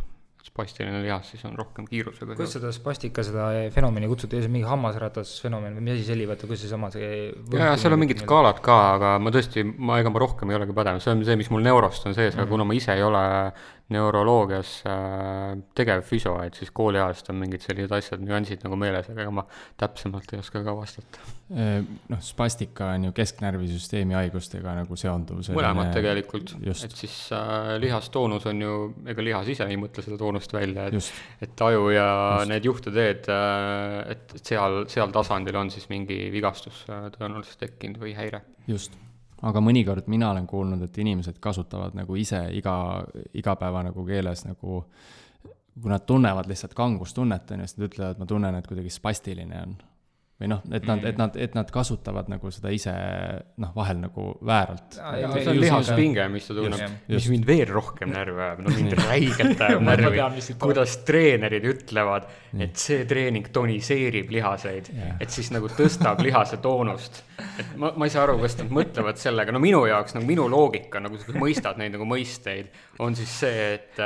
Speaker 2: Spastiline lihas siis on rohkem kiirusega.
Speaker 3: Kuidas seda spastika, seda fenomeni kutsuti, see mingi hammasratas fenomen või mis asi selli, vaata, kus see sama see...
Speaker 2: Ja seal on mingid skaalad ka, aga ma tõesti, ega ma rohkem ei olegi pädev, see on see, mis mul neurost on sees, aga kuna ma ise ei ole neuroloogias tegev füso, et siis kooliajast on mingid sellised asjad, nüansid nagu meeles, aga ma täpsemalt ei oska ka vastata.
Speaker 4: Spastika on ju kesknärvisüsteemi haigustega nagu seonduv.
Speaker 2: Mõlemad tegelikult, et siis lihastoonus on ju, ega lihas ise ei mõtle seda toonust välja, et aju ja need juhteteed, et seal tasandil on siis mingi vigastus tõenäoliselt tekkinud või häire.
Speaker 4: Just. Aga mõnikord mina olen kuulnud, et inimesed kasutavad nagu ise igapäeva nagu keeles nagu, kui nad tunnevad lihtsalt kangustunnet, siis nad ütlevad, et ma tunnen, et kuidagi spastiline on. Või noh, et nad kasutavad nagu seda ise vahel nagu vääralt.
Speaker 2: See on lihaspinge, mis ta tunneb, mis mind veel rohkem närvi ajab, mind räigelt ajab närvi, kuidas treenerid ütlevad, et see treening toniseerib lihaseid, et siis nagu tõstab lihase toonust. Et ma ei saa aru, kas nad mõtlevad sellega, minu jaoks, nagu minu loogika, nagu sa mõistad neid nagu mõisteid, on siis see, et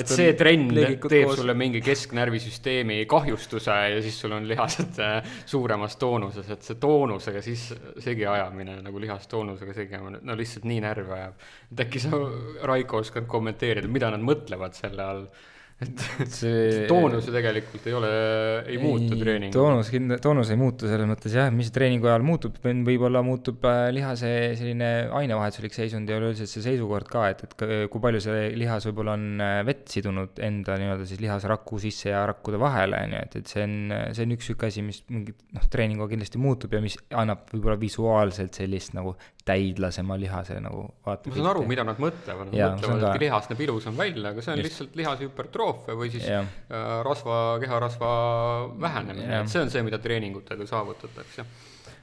Speaker 2: see trend teeb sulle mingi kesknärvisüsteemi kahjustuse ja siis sul on lihased suuremas toonuses, et see toonusega siis segi ajamine, nagu lihastoonusega segi ajamine, lihtsalt nii närvi ajab. Et äkki sa, Raiko, oskad kommenteerida, mida nad mõtlevad selle all? Et see toonus tegelikult ei muutu treeningu.
Speaker 3: Toonus ei muutu selles mõttes, jah, mis treeningu ajal muutub, võib-olla muutub lihase selline ainevahetuslik seisund ja üleüldiselt see seisukord ka, et kui palju see lihas võib-olla on vett sidunud enda nii-öelda siis lihasrakku sisse ja rakkude vahele, et see on üks asi, mis mingi treeningu kindlasti muutub ja mis annab võib-olla visuaalselt sellist nagu täidlasema lihase nagu vaata.
Speaker 2: Ma saan aru, mida nad mõtlevad. Nad mõtlevad, et lihas näeb ilusam välja, aga see on lihtsalt lihase hüpertroofia või siis keharasva vähenemine. Et see on see, mida treeningutega saavutatakse.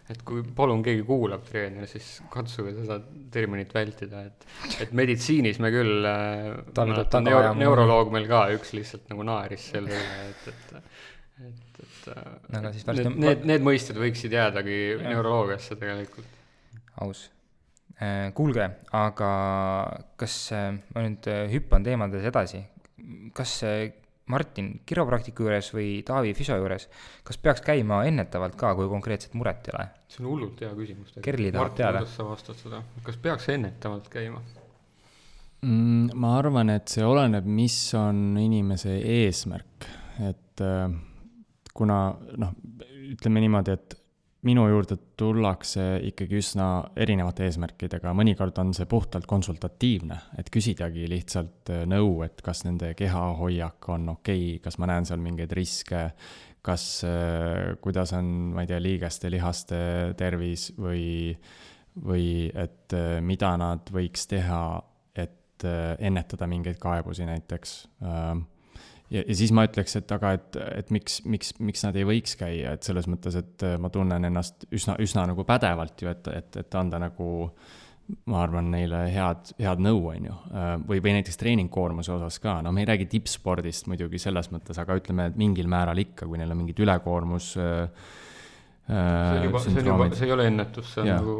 Speaker 2: Et kui palun keegi kuulab treener, siis katsuge seda terminit vältida. Et meditsiinis me küll, neuroloog meil ka üks lihtsalt nagu naaris selle, need mõisted võiksid jäädagi neuroloogiasse tegelikult.
Speaker 3: Aus. Kuulge, aga kas ma nüüd hüppan teemades edasi, kas Martin kiropraktiku juures või Taavi füso juures, kas peaks käima ennetavalt ka, kui konkreetset muret ei ole?
Speaker 2: See on hullult hea küsimus.
Speaker 3: Kerli tahab teada.
Speaker 2: Martin, kuidas sa vastad seda? Kas peaks ennetavalt käima?
Speaker 4: Ma arvan, et see oleneb, mis on inimese eesmärk. Et kuna, ütleme niimoodi, et minu juurde tullakse ikkagi üsna erinevate eesmärkidega, mõnikord on see puhtalt konsultatiivne, et küsidagi lihtsalt nõu, et kas nende kehahoiak on okei, kas ma näen seal mingeid riske, kuidas on, ma ei tea, liigeste, lihaste tervis või et mida nad võiks teha, et ennetada mingeid kaebusi näiteks. ja siis ma ütleks, et aga, et miks nad ei võiks käia, et selles mõttes, et ma tunnen ennast üsna nagu pädevalt ju, et anda nagu, ma arvan, neile head nõu, on ju. Või näiteks treeningkoormuse osas ka, no me ei räägi tippspordist muidugi selles mõttes, aga ütleme, et mingil määral ikka, kui neil on mingid ülekoormus
Speaker 2: see ei ole ennetus, see on
Speaker 4: Jaa.
Speaker 2: nagu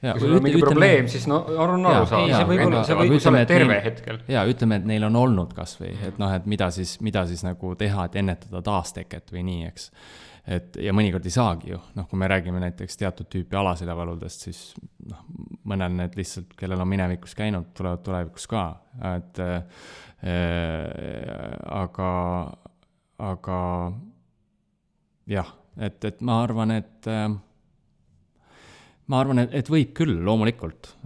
Speaker 4: Ja,
Speaker 2: kui sul on mingi probleem, siis no on aru saada. Kui sa oled terve hetkel.
Speaker 4: Ja ütleme, et neil on olnud kas või, et noh, et mida siis nagu teha, et ennetada taasteket või nii, eks. Ja mõnikord ei saagi ju, noh, kui me räägime näiteks teatud tüüpi alaseljavaludest, siis noh, mõnel need lihtsalt, kellel on minevikus käinud, tulevad tulevikus ka, et aga jah, et ma arvan, et võib küll, loomulikult.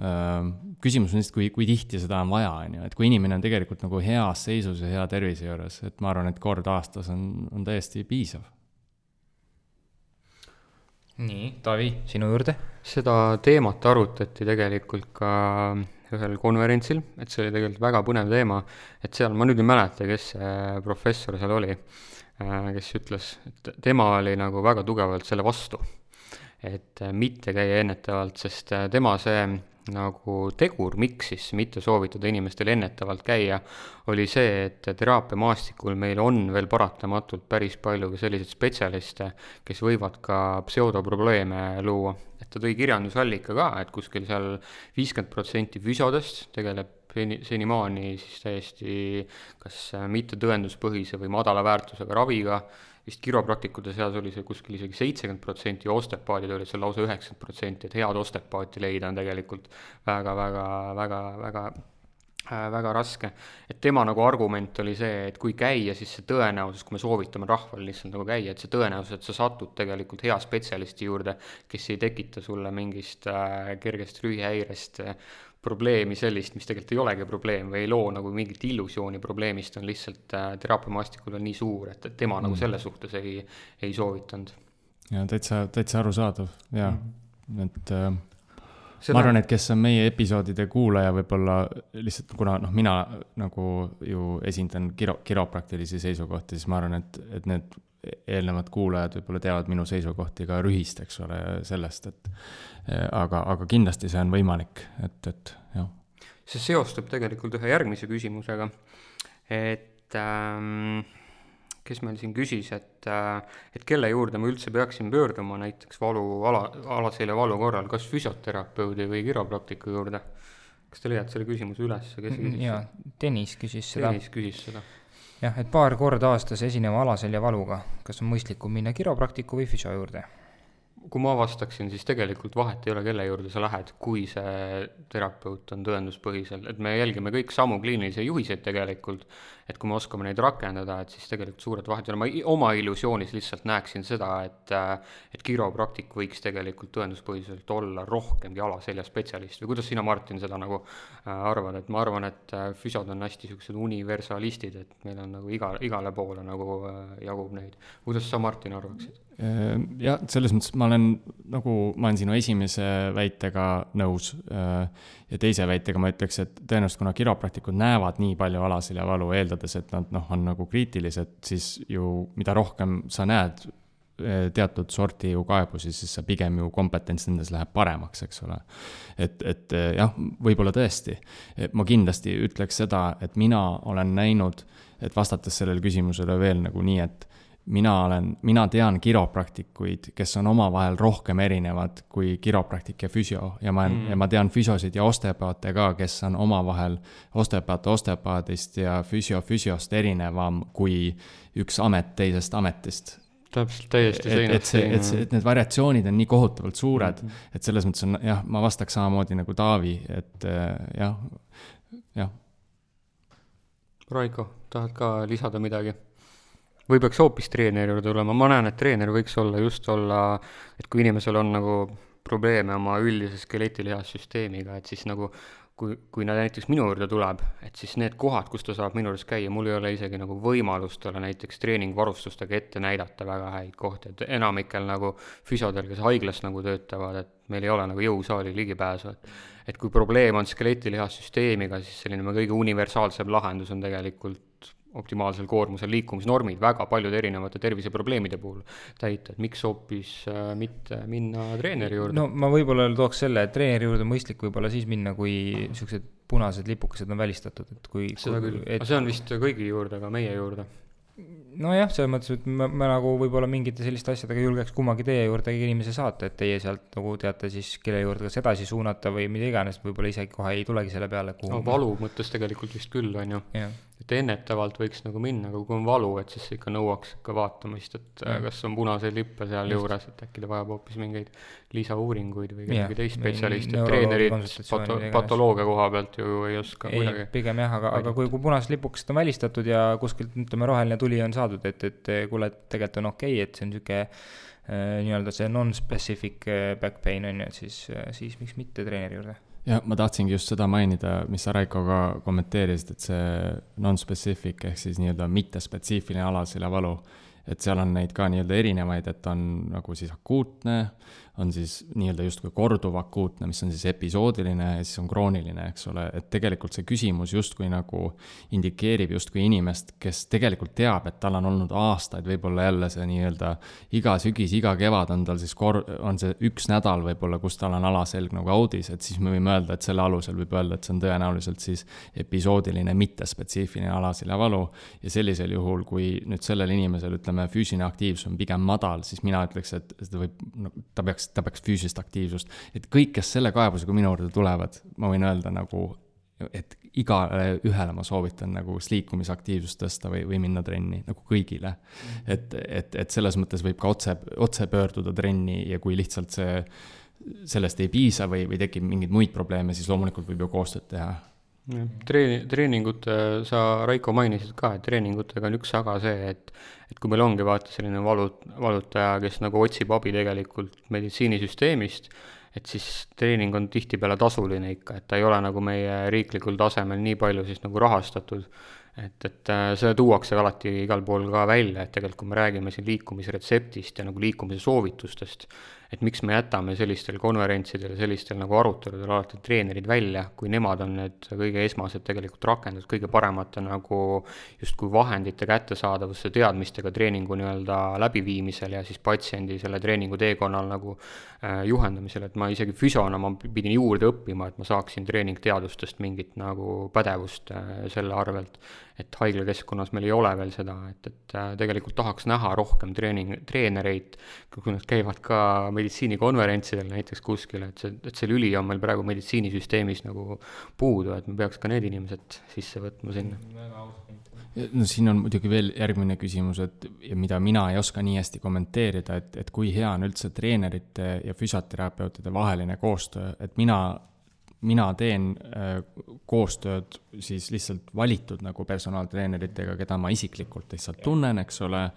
Speaker 4: Küsimus on lihtsalt, kui tihti seda on vaja, et kui inimene on tegelikult nagu heas seisus ja hea tervise juures, et ma arvan, et kord aastas on täiesti piisav.
Speaker 3: Nii, Taavi, sinu juurde?
Speaker 2: Seda teemat arutati tegelikult ka ühel konverentsil, et see oli tegelikult väga põnev teema, et seal, ma nüüd ei mäleta, kes professor seal oli, kes ütles, et tema oli nagu väga tugevalt selle vastu, et mitte käia ennetavalt, sest tema see nagu tegur, miks siis mitte soovitada inimestel ennetavalt käia, oli see, et teraapiamaastikul meil on veel paratamatult päris palju ka selliseid spetsialiste, kes võivad ka pseudoprobleeme luua. Et ta tõi kirjandusallika ka, et kuskil seal 50% füsiodest tegeleb senimaani siis täiesti kas mitte tõenduspõhise või madala väärtusega raviga, vist kiropraktikute seas oli see kuskil isegi 70% ja ostepaadid olid seal lausa 90%, et head ostepaati leida on tegelikult väga raske. Et tema nagu argument oli see, et kui käia, siis see tõenäosus, kui me soovitame rahval lihtsalt nagu käia, et see tõenäosus, et sa satud tegelikult hea spetsialisti juurde, kes ei tekita sulle mingist kergest rühihäirest probleemi sellist, mis tegelikult ei olegi probleem või ei loo nagu mingit illusiooni probleemist, on lihtsalt teraapiamaastikul on nii suur, et tema nagu selle suhtes ei soovitanud.
Speaker 4: Ja täitsa arusaadav, ja et ma arvan, et kes on meie episoodide kuulaja võib-olla lihtsalt, kuna mina nagu ju esindan kiropraktilisi seisukohti, siis ma arvan, et need eelnevad kuulajad võib-olla teavad minu seisukohti ka rühist, eks ole, sellest, aga kindlasti see on võimalik, et jah.
Speaker 2: See seostub tegelikult ühe järgmise küsimusega, et kes meil siin küsis, et kelle juurde me üldse peaksime pöörduma näiteks alaselja valu korral, kas füsioterapeudi või kiropraktiku juurde? Kas te leiad selle küsimuse üles?
Speaker 3: Jaa, Tõnis küsis seda. Jah, et paar korda aastas esineva alaselja valuga, kas on mõistlikum minna kiropraktiku või füsio juurde?
Speaker 2: Kui ma vastaksin, siis tegelikult vahet ei ole, kelle juurde sa lähed, kui see terapeut on tõenduspõhisel, et me jälgime kõik samu kliinilisi juhiseid tegelikult, et kui me oskame neid rakendada, et siis tegelikult suured vahet ei ole. Ma oma illusioonis lihtsalt näeksin seda, et kiropraktik võiks tegelikult tõenduspõhiselt olla rohkemgi alaselja spetsialist või kuidas sina, Martin, seda nagu arvad, et ma arvan, et füsiod on hästi sellised universalistid, et meil on nagu igale poole nagu jagub neid. Kuidas sa, Martin, arvaksid?
Speaker 4: Ja selles mõttes ma olen sinu esimese väitega nõus ja teise väitega ma ütleks, et tõenäoliselt kuna kiropraktikud näevad nii palju alaselja valu, eeldades, et nad on nagu kriitilised, siis ju mida rohkem sa näed teatud sorti ju kaebusi, siis sa pigem ju kompetents nendes läheb paremaks, eks ole. Et jah, võib-olla tõesti. Ma kindlasti ütleks seda, et mina olen näinud, et vastates sellele küsimusele veel nagu nii, et mina tean kiropraktikuid, kes on omavahel rohkem erinevad kui kiropraktik ja füsio ja ma tean füsiosid ja osteopaate ka, kes on omavahel osteopaadist ja füsiost erinevam kui üks amet teisest ametist.
Speaker 2: Täpselt täiesti seinast.
Speaker 4: Et need variatsioonid on nii kohutavalt suured, et selles mõttes on, jah, ma vastaks samamoodi nagu Taavi, et jah.
Speaker 2: Raiko, tahad ka lisada midagi? Või peaks hoopis treeneri juurde tulema? Ma näen, et treener võiks olla, et kui inimesel on nagu probleeme oma üldise skeletilihas-süsteemiga, et siis nagu kui nad näiteks minu juurde tuleb, et siis need kohad, kus ta saab minu juures käia, mul ei ole isegi nagu võimalust olla näiteks treeningvarustustega ette näidata väga häid kohti, et enamikel nagu füsiodel, kes haiglas nagu töötavad, et meil ei ole nagu jõusaali ligipääsu, et kui probleem on skeletilihas-süsteemiga, siis selline kõige universaalsem lahendus on tegelikult optimaalsel koormusel liikumisnormid väga paljude erinevate terviseprobleemide puhul täita, et miks hoopis mitte minna treeneri juurde?
Speaker 3: No ma võib-olla tooks selle, et treeneri juurde mõistlik võib-olla siis minna, kui niisugused punased lipukesed on välistatud, et kui
Speaker 2: seda küll, aga see on vist kõigi juurde, aga meie juurde.
Speaker 3: Nojah, selles mõttes, et ma nagu võib-olla mingite selliste asjadega julgeks kummagi teie juurde inimese saata, et teie sealt nagu teate siis, kelle juurde kas edasi suunata või mida iganes, võib-olla isegi kohe ei tulegi selle peale, kuhu
Speaker 2: valu mõttes tegelikult vist küll, on ju. Et ennetavalt võiks nagu minna, aga kui on valu, et siis ikka nõuaks ikka vaatamist, et kas on punaseid lippe seal juures, et äkki ta vajab hoopis mingeid lisauuringuid või kellegi teist spetsialisti, treenerid patoloogia koha pealt ju ei oska midagi.
Speaker 3: Pigem jah, aga kui punased lipukesed on välistatud ja kuskilt, ütleme, roheline tuli on saadud, et kuule, et tegelikult on okei, et see on niisugune nii-öelda see non-specific back pain on ju, et siis miks mitte treeneri juurde.
Speaker 4: Ja ma tahtsingi just seda mainida, mis sa Raikoga kommenteerisid, et see non-specific ehk siis nii-öelda mittespetsiifiline alasele valu, et seal on neid ka nii-öelda erinevaid, et on nagu siis akuutne, on siis nii-öelda justkui korduv akuutne, mis on siis episoodiline ja siis on krooniline, eks ole, et tegelikult see küsimus justkui nagu indikeerib justkui inimest, kes tegelikult teab, et tal on olnud aastaid, võib-olla jälle see nii-öelda iga sügis, iga kevad on tal siis on see üks nädal võib-olla, kus tal on alaselg nagu audis, et siis me võime öelda, et selle alusel võib öelda, et see on tõenäoliselt siis episoodiline, mittespetsiifiline alaselja valu ja sellisel juhul, kui nüüd sellel inimesel, ütleme, füüsiline aktiivsus on pigem madal, siis mina ütleks, et ta peaks füüsilist aktiivsust, et kõik, kes selle kaebusega minu juurde tulevad, ma võin öelda nagu, et igale ühele ma soovitan nagu liikumisaktiivsust tõsta või minna trenni, nagu kõigile. Et selles mõttes võib ka otse pöörduda trenni ja kui lihtsalt sellest ei piisa või tekib mingeid muid probleeme, siis loomulikult võib ju koostööd teha.
Speaker 2: Treeningute, sa Raiko mainisid ka, et treeningutega on üks aga see, et kui meil ongi vaata selline valutaja, kes nagu otsib abi tegelikult meditsiinisüsteemist, et siis treening on tihtipeale tasuline ikka, et ta ei ole nagu meie riiklikul tasemel nii palju siis nagu rahastatud, et see tuuakse alati igal pool ka välja, et tegelikult kui me räägime siin liikumisretseptist ja nagu liikumise soovitustest, et miks me jätame sellistel konverentsidel ja sellistel nagu aruteludel alati treenerid välja, kui nemad on need kõige esmased tegelikult rakendus, kõige paremate nagu justkui vahendite kättesaadavusse teadmistega treeningu nii-öelda läbiviimisel ja siis patsiendi selle treeningu teekonnal nagu juhendamisel, et ma isegi füsiona ma pidin juurde õppima, et ma saaksin treeningteadustest mingit nagu pädevust selle arvelt, et haiglakeskkonnas meil ei ole veel seda, et tegelikult tahaks näha rohkem treenereid, kui nad käivad ka meditsiinikonverentsidel näiteks kuskil, et see lüli on meil praegu meditsiinisüsteemis nagu puudu, et me peaks ka need inimesed sisse võtma sinna.
Speaker 4: No siin on muidugi veel järgmine küsimus, et mida mina ei oska nii hästi kommenteerida, et kui hea on üldse treenerite ja füsioterapeutide vaheline koostöö, et mina teen koostööd siis lihtsalt valitud nagu personaaltreeneritega, keda ma isiklikult lihtsalt tunnen, eks ole,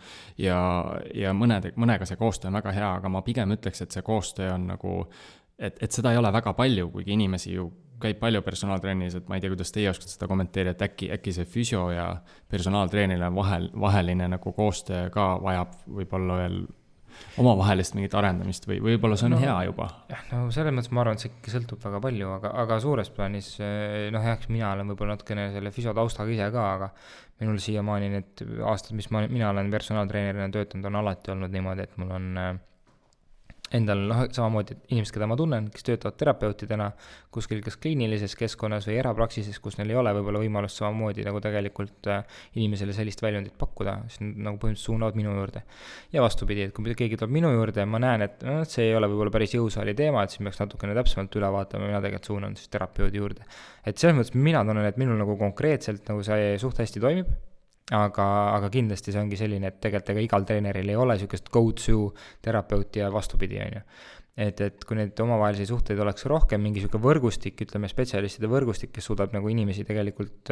Speaker 4: ja mõnega see koostöö on väga hea, aga ma pigem ütleks, et see koostöö on nagu, et seda ei ole väga palju, kuigi inimesi ju käib palju personaaltrennis, et ma ei tea, kuidas teie oskate seda kommenteerida, et äkki see füsio ja personaaltreenile vaheline nagu koostöö ka vajab võib-olla veel omavahelist mingit arendamist või võib-olla see on hea juba?
Speaker 3: No selles mõttes ma arvan, et see ikka sõltub väga palju, aga suures plaanis, eks mina olen võib-olla natukene selle füsiotaustaga ise ka, aga minul siiamaani need aastad, mis mina olen personaaltreenerina töötanud, on alati olnud niimoodi, et mul on endal samamoodi inimesed, keda ma tunnen, kes töötavad terapeutidena kuskil kas kliinilises keskkonnas või erapraksises, kus neil ei ole võib-olla võimalust samamoodi nagu tegelikult inimesele sellist väljundit pakkuda, siis nagu põhimõtteliselt suunavad minu juurde. Ja vastupidi, et kui keegi tuleb minu juurde ja ma näen, et see ei ole võib-olla päris jõusaali teema, et siis peaks natukene täpsemalt üle vaatama, mina tegelikult suunan siis terapeudi juurde. Et selles mõttes mina tunnen, et minul nagu konkreetselt nagu see suht hästi toimib, aga kindlasti see ongi selline, et tegelikult ega igal treeneril ei ole niisugust go-to terapeuti ja vastupidi, on ju. Et kui need omavahelisi suhteid oleks rohkem, mingi niisugune võrgustik, ütleme spetsialistide võrgustik, kes suudab nagu inimesi tegelikult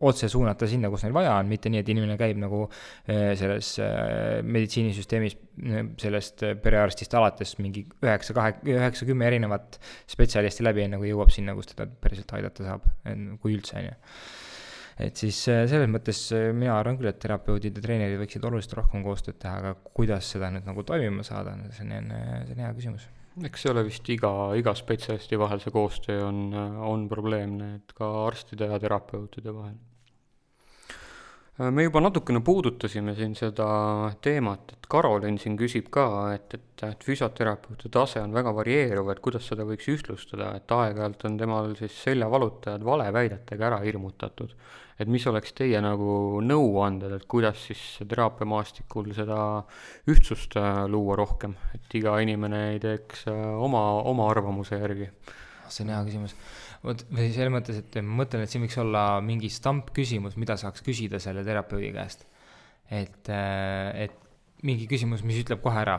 Speaker 3: otse suunata sinna, kus neil vaja on, mitte nii, et inimene käib nagu selles meditsiinisüsteemis sellest perearstist alates mingi 9-10 erinevat spetsialisti läbi, enne kui jõuab sinna, kus teda päriselt aidata saab, kui üldse, on ju. Et siis selles mõttes mina arvan küll, et terapeudid ja treenerid võiksid oluliselt rohkem koostööd teha, aga kuidas seda nüüd nagu toimima saada, see on hea küsimus.
Speaker 2: Eks see ole vist iga spetsialisti vahel see koostöö on probleemne, et ka arstide ja terapeutide vahel. Me juba natukene puudutasime siin seda teemat, et Karolin siin küsib ka, et füsioterapeutide tase on väga varieeruv, et kuidas seda võiks ühtlustada, et aeg-ajalt on temal siis seljavalutajad valeväidetega ära hirmutatud. Et mis oleks teie nagu nõuanded, et kuidas siis teraapiamaastikul seda ühtsust luua rohkem, et iga inimene ei teeks oma arvamuse järgi?
Speaker 3: See on hea küsimus. Või selles mõttes, et ma mõtlen, et siin võiks olla mingi stampküsimus, mida saaks küsida selle terapeudi käest. Et mingi küsimus, mis ütleb kohe ära,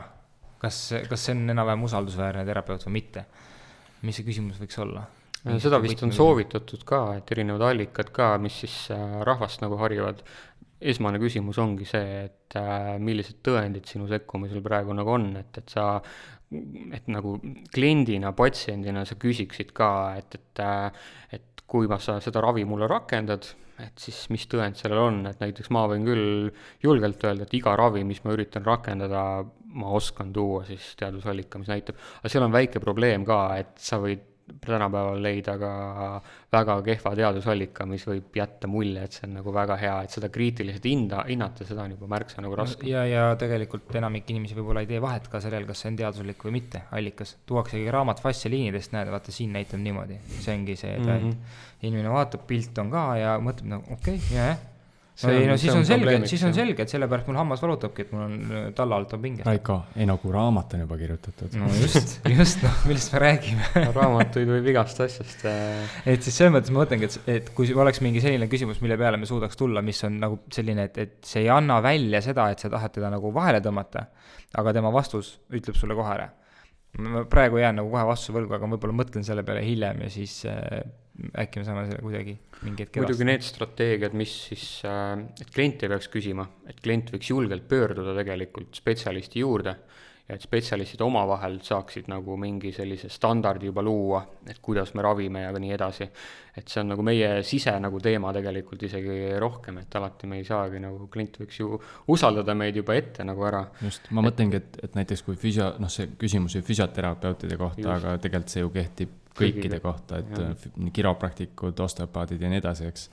Speaker 3: kas see on enam-vähem usaldusväärne terapeut või mitte. Mis see küsimus võiks olla?
Speaker 2: Seda vist on soovitatud ka, et erinevad allikad ka, mis siis rahvast nagu harivad. Esmane küsimus ongi see, et millised tõendid sinu sekkumisel praegu nagu on, et nagu kliendina, patsiendina sa küsiksid ka, et kui sa seda ravi mulle rakendad, et siis mis tõend sellel on, et näiteks ma võin küll julgelt öelda, et iga ravi, mis ma üritan rakendada, ma oskan tuua siis teadusallika, mis näitab, aga seal on väike probleem ka, et sa võid tänapäeval leida ka väga kehva teadusallika, mis võib jätta mulje, et see on nagu väga hea, et seda kriitiliselt hinnata, seda on juba märksa nagu raske.
Speaker 3: Ja tegelikult enamik inimesi võib-olla ei tee vahet ka sellel, kas see on teaduslik või mitte allikas. Tuuaksegi raamat fastsialiinidest, näed, vaata siin näitab niimoodi. See ongi see, et inimene vaatab, pilt on ka ja mõtleb nagu okei, jah. Siis on selge, et sellepärast mul hammas valutabki, et mul on talla alt on pingest.
Speaker 4: Raiko, kui raamat on juba kirjutatud.
Speaker 3: No just, millest me räägime.
Speaker 2: Raamatuid võib igast asjast.
Speaker 3: Et siis selles mõttes ma mõtlengi, et kui oleks mingi selline küsimus, mille peale me suudaks tulla, mis on nagu selline, et see ei anna välja seda, et sa tahad teda nagu vahele tõmmata, aga tema vastus ütleb sulle kohe ära. Ma praegu jään nagu kohe vastuse võlgu, aga võib-olla mõtlen selle peale hiljem ja siis äkki me saame selle kuidagi mingi hetk
Speaker 2: muidugi need strateegiad, mis siis, et klient ei peaks küsima, et klient võiks julgelt pöörduda tegelikult spetsialisti juurde ja et spetsialistid omavahel saaksid nagu mingi sellise standardi juba luua, et kuidas me ravime ja nii edasi. Et see on nagu meie sise nagu teema tegelikult isegi rohkem, et alati me ei saagi nagu klient võiks ju usaldada meid juba ette nagu ära.
Speaker 4: Just, ma mõtlengi, et näiteks kui see küsimus ju füsioterapeutide kohta, just. Aga tegelikult see ju kehtib kõikide kohta, et kiropraktikud, osteopaadid ja nii edasi, eks.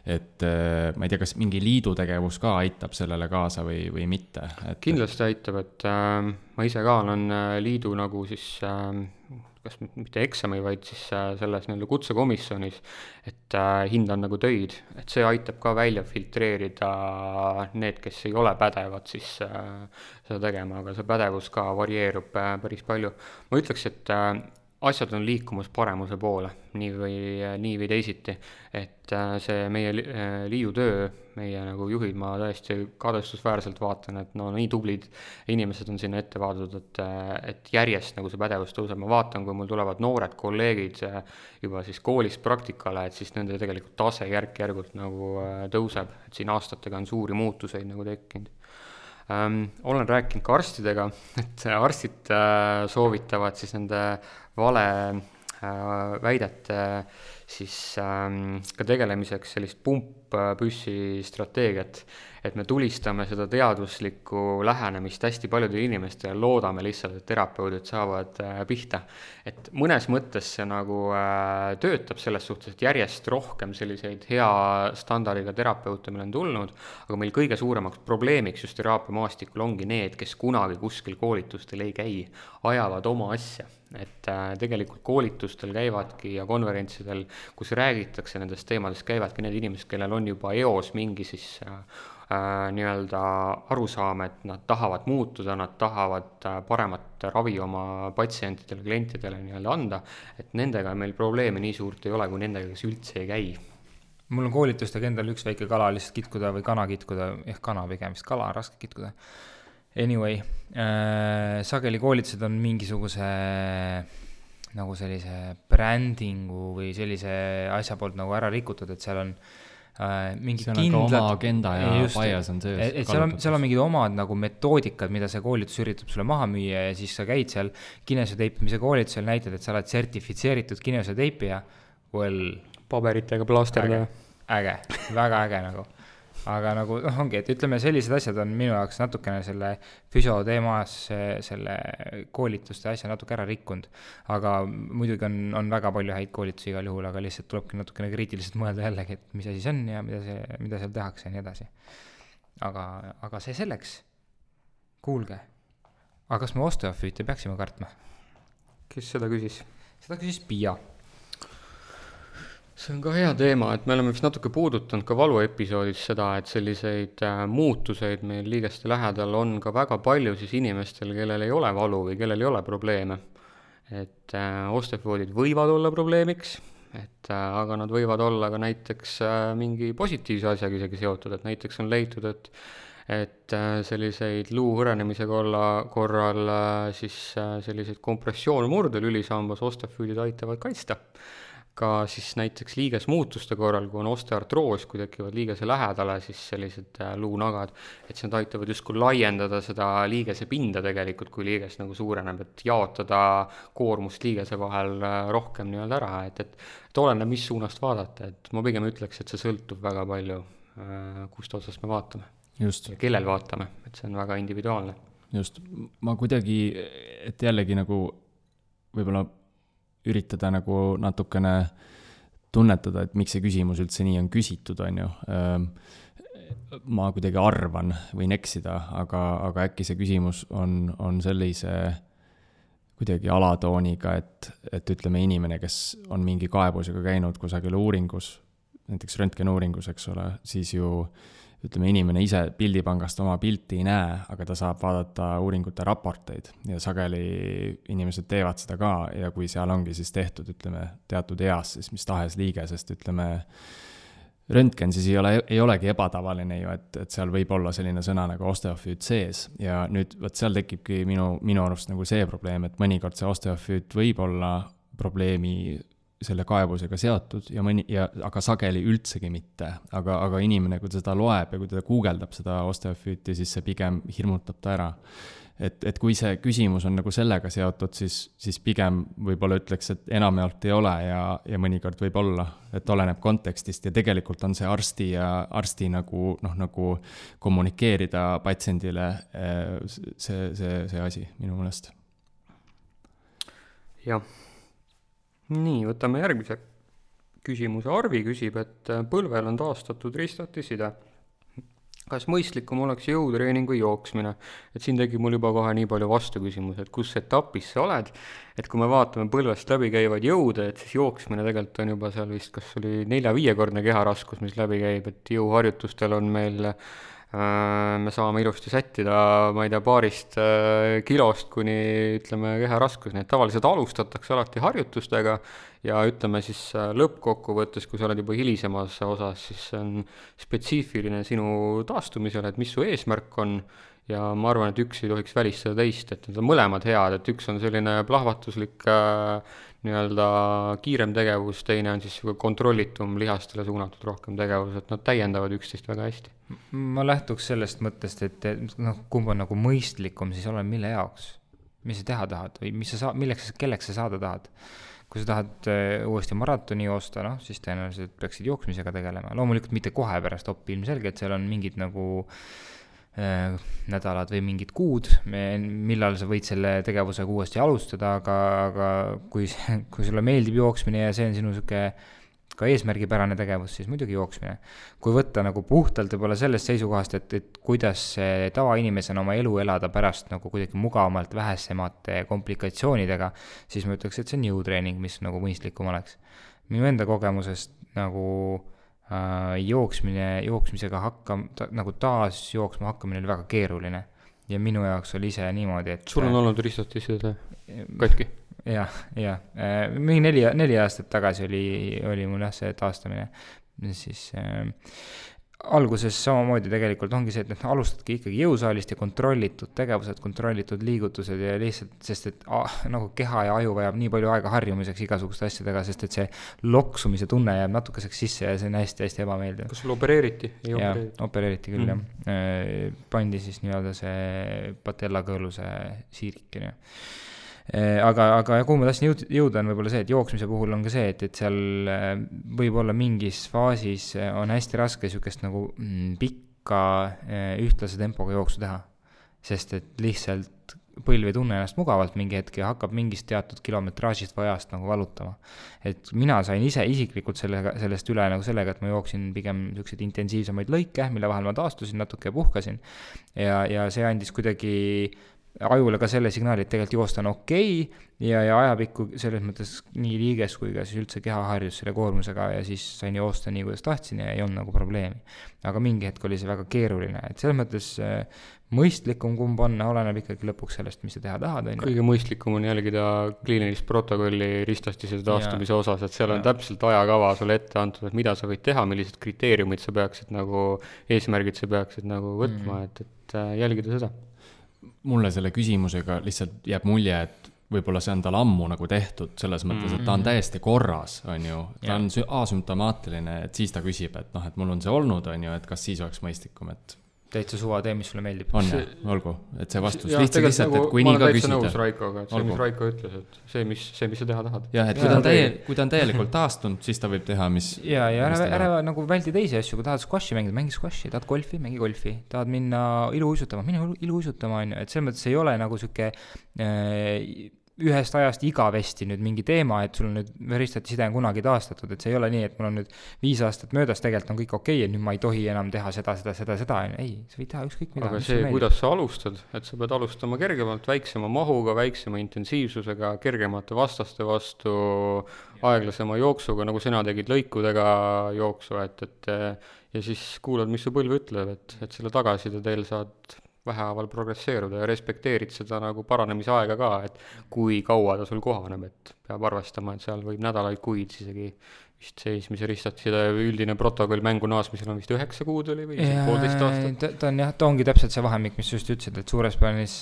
Speaker 4: Et ma ei tea, kas mingi liidu tegevus ka aitab sellele kaasa või mitte?
Speaker 2: Kindlasti aitab, et ma ise ka olen liidu nagu siis, kas mitte eksami, vaid siis selles kutsekomisjonis, et hindan nagu töid, et see aitab ka välja filtreerida need, kes ei ole pädevad siis seda tegema, aga see pädevus ka varieerub päris palju. Ma ütleks, et asjad on liikumas paremuse poole, nii või teisiti, et see meie liidu töö, meie nagu juhid, ma täiesti kadestusväärselt vaatan, et nii tublid inimesed on sinna ette vaadatud, et järjest nagu see pädevus tõuseb. Ma vaatan, kui mul tulevad noored kolleegid juba siis koolist praktikale, et siis nende tegelikult tase järk-järgult nagu tõuseb, et siin aastatega on suuri muutuseid nagu tekkinud. Olen rääkinud ka arstidega, et arstid soovitavad siis nende vale väidete siis ka tegelemiseks sellist pumppüssi strateegiat, et me tulistame seda teaduslikku lähenemist hästi paljudele inimestele ja loodame lihtsalt, et terapeudid saavad pihta. Et mõnes mõttes see nagu töötab selles suhtes, et järjest rohkem selliseid hea standardiga terapeute meil on tulnud, aga meil kõige suuremaks probleemiks just teraapiamaastikul ongi need, kes kunagi kuskil koolitustel ei käi, ajavad oma asja. Et tegelikult koolitustel käivadki ja konverentsidel, kus räägitakse nendest teemadest, käivadki need inimesed, kellel on juba eos mingi siis nii-öelda arusaam, et nad tahavad muutuda, nad tahavad paremat ravi oma patsientidele, klientidele nii-öelda anda, et nendega meil probleemi nii suurt ei ole, kui nendega, kes üldse ei käi.
Speaker 3: Mul on koolitustega endal üks väike kala lihtsalt kitkuda või kana kitkuda, kana pigem, vist kala on raske kitkuda. Anyway, sageli koolitused on mingisuguse nagu sellise brändingu või sellise asja poolt nagu ära rikutud, et seal on mingi
Speaker 4: see on kindlad, oma agenda ja bias on sees.
Speaker 3: Et seal on mingid omad nagu metoodikad, mida see koolitus üritab sulle maha müüa ja siis sa käid seal kineesioteipimise koolitusel, näitad, et sa oled sertifitseeritud kineesioteipija.
Speaker 2: Paberitega plaasterda.
Speaker 3: Äge, väga äge nagu. aga nagu ongi, et ütleme, sellised asjad on minu jaoks natukene selle füsioteemas selle koolituste asja natuke ära rikkunud, aga muidugi on väga palju häid koolitusi igal juhul, aga lihtsalt tulebki natukene kriitiliselt mõelda jällegi, et mis asi see on ja mida seal tehakse ja nii edasi. Aga see selleks, kuulge, aga kas me osteofüüte peaksime kartma?
Speaker 2: Kes seda küsis?
Speaker 3: Seda küsis Pia.
Speaker 2: See on ka hea teema, et me oleme vist natuke puudutanud ka valuepisoodis seda, et selliseid muutuseid meil liigeste lähedal on ka väga palju siis inimestel, kellel ei ole valu või kellel ei ole probleeme. Et osteofoodid võivad olla probleemiks, aga nad võivad olla ka näiteks mingi positiivse asjaga isegi seotud, et näiteks on leitud, et selliseid luu hõrenemise korral siis selliseid kompressioonmurde lülisambas osteofüüdid aitavad kaitsta. Ka siis näiteks liigesmuutuste korral, kui on osteoartroos, kui tekivad liigese lähedale, siis sellised luunagad, et see aitavad justkui laiendada seda liigese pinda tegelikult, kui liiges nagu suureneb, et jaotada koormust liigese vahel rohkem nii-öelda ära, et oleneb, mis suunast vaadata, et ma pigem ütleks, et see sõltub väga palju, kust otsast me vaatame.
Speaker 4: Just.
Speaker 2: Ja kellel vaatame, et see on väga individuaalne.
Speaker 4: Just, ma kuidagi, et jällegi nagu võib-olla üritada nagu natukene tunnetada, et miks see küsimus üldse nii on küsitud, on ju. Ma kuidagi arvan, võin eksida, aga äkki see küsimus on sellise kuidagi alatooniga, et ütleme inimene, kes on mingi kaebusega käinud kusagil uuringus, näiteks röntgenuuringus, eks ole, siis ju ütleme, inimene ise pildipangast oma pilti ei näe, aga ta saab vaadata uuringute raporteid ja sageli inimesed teevad seda ka ja kui seal ongi siis tehtud, ütleme, teatud eas, siis mis tahes liige, sest ütleme, röntgen siis ei olegi ebatavaline ju, et seal võib olla selline sõna nagu osteofüüt sees ja nüüd võt seal tekibki minu arust nagu see probleem, et mõnikord see osteofüüt võib olla probleemi selle kaebusega seotud aga sageli üldsegi mitte, aga inimene, kui ta seda loeb ja kui ta guugeldab seda osteofüüti, siis see pigem hirmutab ta ära. Et kui see küsimus on nagu sellega seotud, siis pigem võib-olla ütleks, et enamjaolt ei ole ja mõnikord võib olla, et oleneb kontekstist ja tegelikult on see arsti nagu kommunikeerida patsiendile see asi minu meelest.
Speaker 2: Jah. Nii, võtame järgmise küsimuse. Arvi küsib, et põlvel on taastatud ristatiside. Kas mõistlikum oleks jõutreening või jooksmine? Et siin tegi mul juba kohe nii palju vastuküsimus, et kus etapis sa oled. Et kui me vaatame põlvest läbi käivad jõude, et siis jooksmine tegelikult on juba seal vist, kas oli 4-5-kordne keharaskus, mis läbi käib, et jõuharjutustel on meil me saame ilusti sättida, ma ei tea, paarist kilost kuni ütleme keharaskus, nii et tavaliselt alustatakse alati harjutustega ja ütleme siis lõppkokkuvõttes, kui sa oled juba hilisemas osas, siis on spetsiifiline sinu taastumisel, et mis su eesmärk on ja ma arvan, et üks ei tohiks välistada teist, et need on mõlemad head, et üks on selline plahvatuslik nii-öelda kiirem tegevus, teine on siis kontrollitum lihastele suunatud rohkem tegevus, et nad täiendavad üksteist väga hästi.
Speaker 3: Ma lähtuks sellest mõttest, et kumb on nagu mõistlikum, siis olen mille jaoks, mis sa teha tahad või kelleks sa saada tahad. Kui sa tahad uuesti maratoni joosta, siis tõenäoliselt peaksid jooksmisega tegelema. Loomulikult mitte kohe pärast oppi ilmselgelt, seal on mingid nagu nädalad või mingid kuud, millal sa võid selle tegevusega uuesti alustada, aga kui sulle meeldib jooksmine ja see on sinu süke ka eesmärgipärane tegevus, siis muidugi jooksmine. Kui võtta nagu puhtalt võib-olla sellest seisukohast, et kuidas tavainimesena oma elu elada pärast nagu kuidagi mugavamalt vähesemate komplikatsioonidega, siis ma ütleks, et see on jõutreening, mis nagu mõistlikum oleks. Minu enda kogemusest nagu jooksmisega nagu taas jooksma hakkamine oli väga keeruline ja minu jaoks oli ise niimoodi, et
Speaker 2: sul on olnud ristatiside katki?
Speaker 3: Ja. Mingi 4 aastat tagasi oli mul see taastamine. Siis alguses samamoodi tegelikult ongi see, et alustadki ikkagi jõusaalist ja kontrollitud tegevused, kontrollitud liigutused ja lihtsalt, sest et nagu keha ja aju vajab nii palju aega harjumiseks igasuguste asjadega, sest et see loksumise tunne jääb natukeseks sisse ja see on hästi-hästi ebameeldiv.
Speaker 2: Kas sul opereeriti?
Speaker 3: Ja, opereeriti küll, jah. Pandi siis nii-öelda see patellakõõluse siirikene. Aga kuhu ma tahtsin jõuda on võib-olla see, et jooksmise puhul on ka see, et seal võib-olla mingis faasis on hästi raske sükest nagu pikka ühtlase tempoga jooksu teha. Sest et lihtsalt põlv ei tunne ennast mugavalt mingi hetk ja hakkab mingist teatud kilometraažist või ajast nagu valutama. Et mina sain isiklikult sellest üle nagu sellega, et ma jooksin pigem selliseid intensiivsemaid lõike, mille vahel ma taastusin natuke ja puhkasin. Ja see andis kuidagi ajule ka selle signaali, et tegelikult joosta on okei ja ajapikku selles mõttes nii liiges kui ka siis üldse keha harjus selle koormusega ja siis sain joosta nii, kuidas tahtsin ja ei olnud nagu probleemi. Aga mingi hetk oli see väga keeruline, et selles mõttes mõistlikum kumb on, oleneb ikkagi lõpuks sellest, mis sa teha tahad.
Speaker 2: Kõige mõistlikum on jälgida kliinilist protokolli ristastise taastumise osas, et seal on täpselt ajakava sulle ette antud, et mida sa võid teha, millised kriteeriumid sa peaksid nagu, eesmärgid sa peaksid nagu võtma, et jälgida seda.
Speaker 4: Mulle selle küsimusega lihtsalt jääb mulje, et võib-olla see on tal ammu nagu tehtud selles mõttes, et ta on täiesti korras, on ju, ta on asümptomaatiline, et siis ta küsib, et noh, et mul on see olnud, on ju, et kas siis oleks mõistlikum, et
Speaker 3: täitsa suva tee, mis sulle meeldib.
Speaker 4: On jah, olgu, et see vastus lihtsalt, et kui nii ka küsida.
Speaker 2: Ma olen täitsa nõus Raikoga, et see, mis Raiko ütles, et see, mis sa teha tahad.
Speaker 4: Jah, et kui ta on täielikult taastunud, siis ta võib teha, mis...
Speaker 3: Ja ära nagu väldi teisi asju, kui tahad squashi mängida, mängi squashi, tahad golfi, mängi golfi, tahad minna iluuisutama, mine iluuisutama, on ju, et selles mõttes ei ole nagu süke ühest ajast igavesti nüüd mingi teema, et sul nüüd veristati side on kunagi taastatud, et see ei ole nii, et mul on nüüd 5 aastat möödas, tegelikult on kõik okei, et nüüd ma ei tohi enam teha seda, ei, sa võid teha ükskõik mida.
Speaker 2: Aga see, kuidas sa alustad, et sa pead alustama kergemalt, väiksema mahuga, väiksema intensiivsusega, kergemate vastaste vastu, aeglasema jooksuga, nagu sina tegid lõikudega jooksu, ja siis kuulad, mis su põlv ütleb, et selle tagaside teel saad vähehaaval progresseeruda ja respekteerid seda nagu paranemise aega ka, et kui kaua ta sul kohaneb, et peab arvestama, et seal võib nädalaid, kuid isegi vist seismise ristastada üldine protokoll mängu naasmisel on vist 9 kuud oli või 1,5 aastat.
Speaker 3: Ta ongi täpselt see vahemik, mis just ütlesid, et suures plaanis,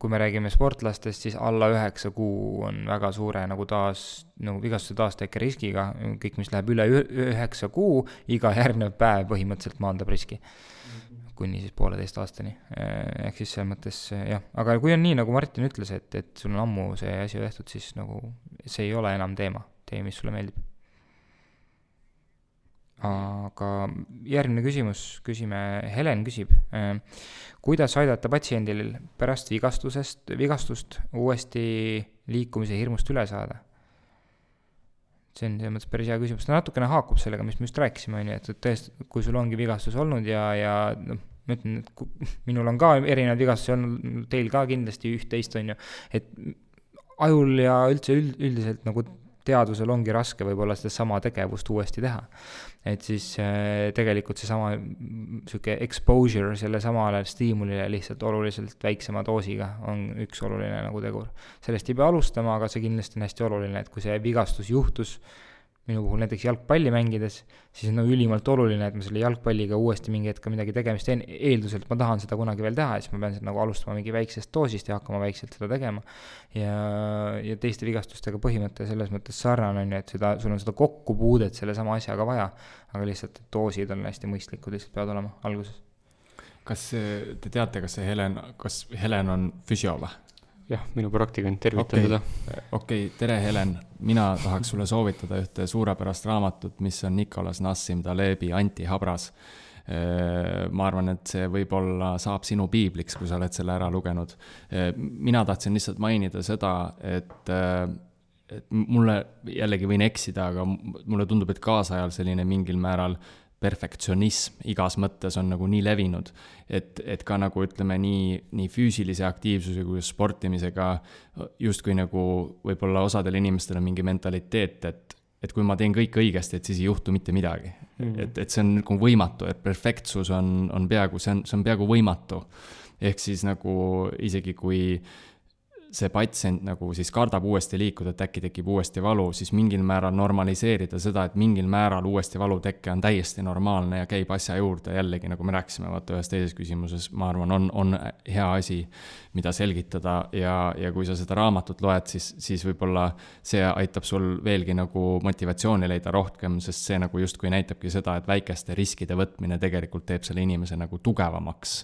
Speaker 3: kui me räägime sportlastest, siis alla 9 kuu on väga suure nagu nagu vigastuse taastekke riskiga, kõik, mis läheb üle 9 kuu, iga järgnev päev põhimõtteliselt maandab riski. Kuni siis 1,5 aastani. Ehk siis selles mõttes, jah. Aga kui on nii, nagu Martin ütles, et sul on ammu see asi tehtud, siis nagu see ei ole enam teema, mis sulle meeldib. Aga järgmine küsime, Helen küsib, kuidas aidata patsiendil pärast vigastust uuesti liikumise hirmust üle saada? See on selles mõttes päris hea küsimus. Ta natukene haakub sellega, mis me just rääkisime, et tõesti, kui sul ongi vigastus olnud ja noh, ma ütlen, et minul on ka erinevad vigastusi olnud, teil ka kindlasti üht-teist on ju, et ajul ja üldse üldiselt nagu teadvusel ongi raske võib-olla seda sama tegevust uuesti teha. Et siis tegelikult see sama exposure selle samale stiimulile lihtsalt oluliselt väiksema doosiga on üks oluline nagu tegur. Sellest ei pea alustama, aga see kindlasti on hästi oluline, et kui see vigastus juhtus minu puhul näiteks jalgpalli mängides, siis on ülimalt oluline, et ma selle jalgpalliga uuesti mingi hetk midagi tegemist teen, eelduselt ma tahan seda kunagi veel teha, siis ma pean seda nagu alustama mingi väiksest doosist ja hakkama väikselt seda tegema. Ja teiste vigastustega põhimõte selles mõttes sarnane on, et sul on seda kokkupuudet selle sama asjaga vaja, aga lihtsalt doosid on hästi mõistlikud, lihtsalt peavad olema alguses.
Speaker 4: Kas te teate, kas Helen on füsio või?
Speaker 2: Jah, minu praktikant, tervitan teda.
Speaker 4: Okei, tere Helen, mina tahaks sulle soovitada ühte suurepärast raamatut, mis on Nicolas Nassim Talebi Antihabras. Ma arvan, et see võib-olla saab sinu piibliks, kui sa oled selle ära lugenud. Mina tahtsin lihtsalt mainida seda, et mulle jällegi võin eksida, aga mulle tundub, et kaasajal selline mingil määral perfektsionism igas mõttes on nagu nii levinud, et ka nagu ütleme nii füüsilise aktiivsuse kui sportimisega justkui nagu võib-olla osadel inimestel on mingi mentaliteet, et kui ma teen kõik õigesti, et siis ei juhtu mitte midagi. Et see on nagu võimatu, et perfektsus on peaaegu, see on peaaegu võimatu. Ehk siis nagu isegi kui see patsient nagu siis kardab uuesti liikuda, et äkki tekib uuesti valu, siis mingil määral normaliseerida seda, et mingil määral uuesti valutekke on täiesti normaalne ja käib asja juurde. Jällegi, nagu me rääkisime, vaata ühes teises küsimuses, ma arvan, on hea asi, mida selgitada ja kui sa seda raamatut loed, siis võib-olla see aitab sul veelgi nagu motivatsiooni leida rohkem, sest see nagu justkui näitabki seda, et väikeste riskide võtmine tegelikult teeb selle inimese nagu tugevamaks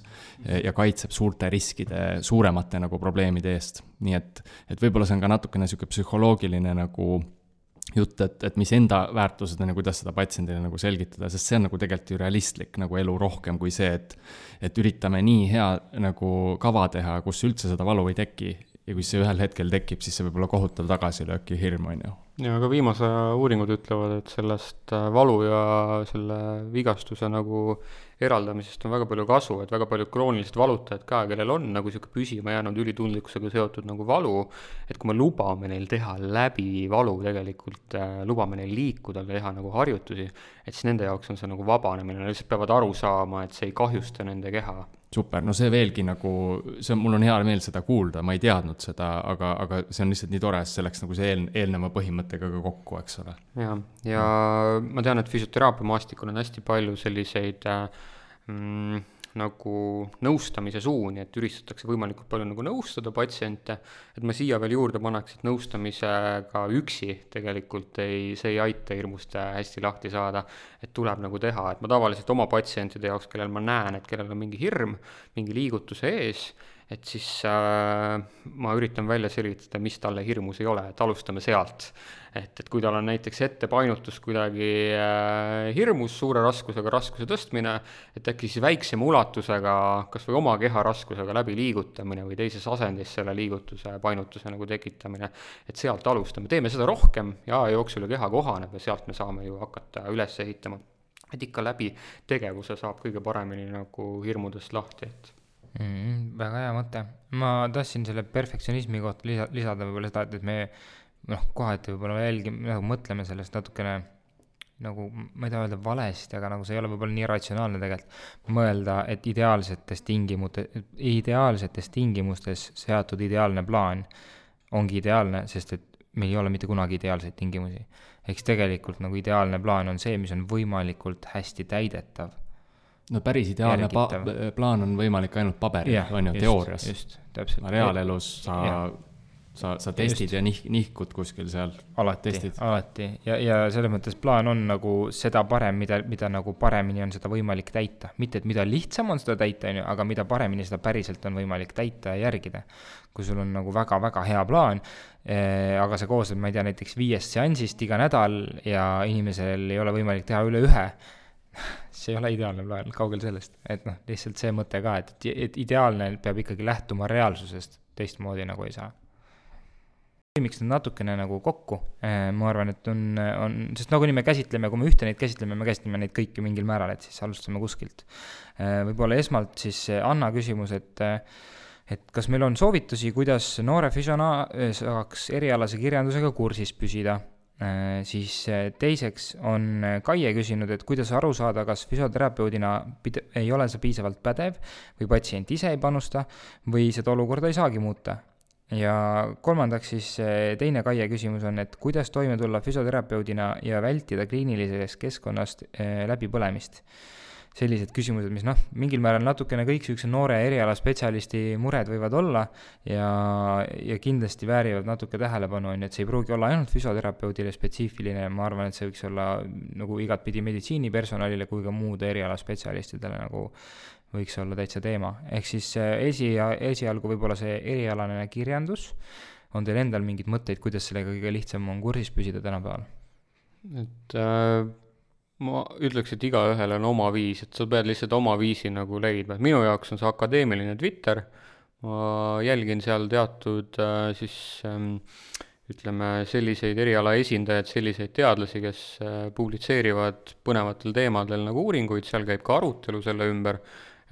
Speaker 4: ja kaitseb suurte riskide, suuremate nagu probleemide eest. nii et võib-olla see on ka natukene niisugune psühholoogiline nagu jutt, et mis enda väärtused on ja kuidas seda patsiendile nagu selgitada, sest see on nagu tegelikult ju realistlik nagu elu rohkem kui see, et üritame nii hea nagu kava teha, kus üldse seda valu ei teki ja kui see ühel hetkel tekib, siis see võib olla kohutav tagasilöök ja hirm, on ju.
Speaker 2: Ja aga viimase uuringud ütlevad, et sellest valu ja selle vigastuse nagu eraldamisest on väga palju kasu, et väga paljud kroonilised valutajad ka, kellel on nagu siuke püsima jäänud ülitundlikkusega seotud nagu valu, et kui me lubame neil teha läbi valu tegelikult, lubame neil liikuda, teha nagu harjutusi, et siis nende jaoks on see nagu vabanemine, nad lihtsalt peavad aru saama, et see ei kahjusta nende keha.
Speaker 4: Super, no see veelgi nagu, mul on hea meel seda kuulda, ma ei teadnud seda, aga see on lihtsalt nii tore, selleks nagu see eelneva põhimõttega ka kokku, eks ole.
Speaker 2: Ja ma tean, et füsioteraapia maastikul on hästi palju selliseid nagu nõustamise suuni, et üritatakse võimalikult palju nagu nõustada patsiente, et ma siia veel juurde paneks, et nõustamisega üksi tegelikult see ei aita hirmust hästi lahti saada, et tuleb nagu teha, et ma tavaliselt oma patsientide jaoks, kellel ma näen, et kellel on mingi hirm, mingi liigutuse ees, et siis ma üritan välja selgitada, mis talle hirmus ei ole, et alustame sealt. Et kui tal on näiteks ettepainutus kuidagi hirmus, suure raskusega raskuse tõstmine, et äkki siis väiksema ulatusega, kas või oma keha raskusega läbi liigutamine või teises asendis selle liigutuse painutuse nagu tekitamine, et sealt alustame. Teeme seda rohkem ja jooksul keha kohaneb ja sealt me saame ju hakata üles ehitama. Et ikka läbi tegevuse saab kõige paremini nagu hirmudest lahti, et
Speaker 3: väga hea mõte. Ma tahtsin selle perfektsionismi kohta lisada võib-olla seda, et me kohati võib-olla nagu mõtleme sellest natukene nagu, ma ei taha öelda valesti, aga nagu see ei ole võib-olla nii ratsionaalne tegelikult mõelda, et ideaalsetes tingimustes seatud ideaalne plaan ongi ideaalne, sest et meil ei ole mitte kunagi ideaalseid tingimusi. Eks tegelikult nagu ideaalne plaan on see, mis on võimalikult hästi täidetav.
Speaker 4: No päris ideaalne plaan on võimalik ainult paberil, on ju, teoorias.
Speaker 3: Just, täpselt.
Speaker 4: Reaalelus sa testid ja nihkud kuskil seal.
Speaker 3: Alati. Ja selles mõttes plaan on nagu seda parem, mida nagu paremini on seda võimalik täita. Mitte, et mida lihtsam on seda täita, aga mida paremini seda päriselt on võimalik täita ja järgida. Kui sul on nagu väga-väga hea plaan, aga see koostab, ma ei tea, näiteks 5 seansist iga nädal ja inimesel ei ole võimalik teha üle 1, see ei ole ideaalne plaan, kaugel sellest. Et lihtsalt see mõte ka, et ideaalne peab ikkagi lähtuma reaalsusest, teistmoodi nagu ei saa. Miks nad natukene nagu kokku, ma arvan, et on, sest nagu nii me käsitleme, kui me ühte neid käsitleme, me käsitleme neid kõiki mingil määral, et siis alustame kuskilt. Võib-olla esmalt siis Anna küsimus, et kas meil on soovitusi, kuidas noore füsiona saaks erialase kirjandusega kursis püsida? Siis teiseks on Kaie küsinud, et kuidas aru saada, kas füsioterapeudina ei ole see piisavalt pädev või patsient ise ei panusta või seda olukorda ei saagi muuta. Ja kolmandaks siis teine Kaie küsimus on, et kuidas toime tulla füsioterapeudina ja vältida kliinilisest keskkonnast läbipõlemist. Sellised küsimused, mis mingil määral natukene kõik süükse noore erialaspetsialisti mured võivad olla ja kindlasti väärivad natuke tähelepanu, et see ei pruugi olla ainult füsioterapeudile spetsiifiline, ma arvan, et see võiks olla nagu igatpidi meditsiinipersonalile kui ka muude erialaspetsialistidele nagu võiks olla täitsa teema. Ehk siis esialgu võib-olla see erialane kirjandus, on teil endal mingid mõtteid, kuidas sellega kõige lihtsam on kursis püsida tänapäeval?
Speaker 2: Et ma ütleks, et igaühel on oma viis, et sa pead lihtsalt oma viisi nagu leidma. Minu jaoks on see akadeemiline Twitter, ma jälgin seal teatud ütleme selliseid eriala esindajaid, selliseid teadlasi, kes publitseerivad põnevatel teemadel nagu uuringuid, seal käib ka arutelu selle ümber,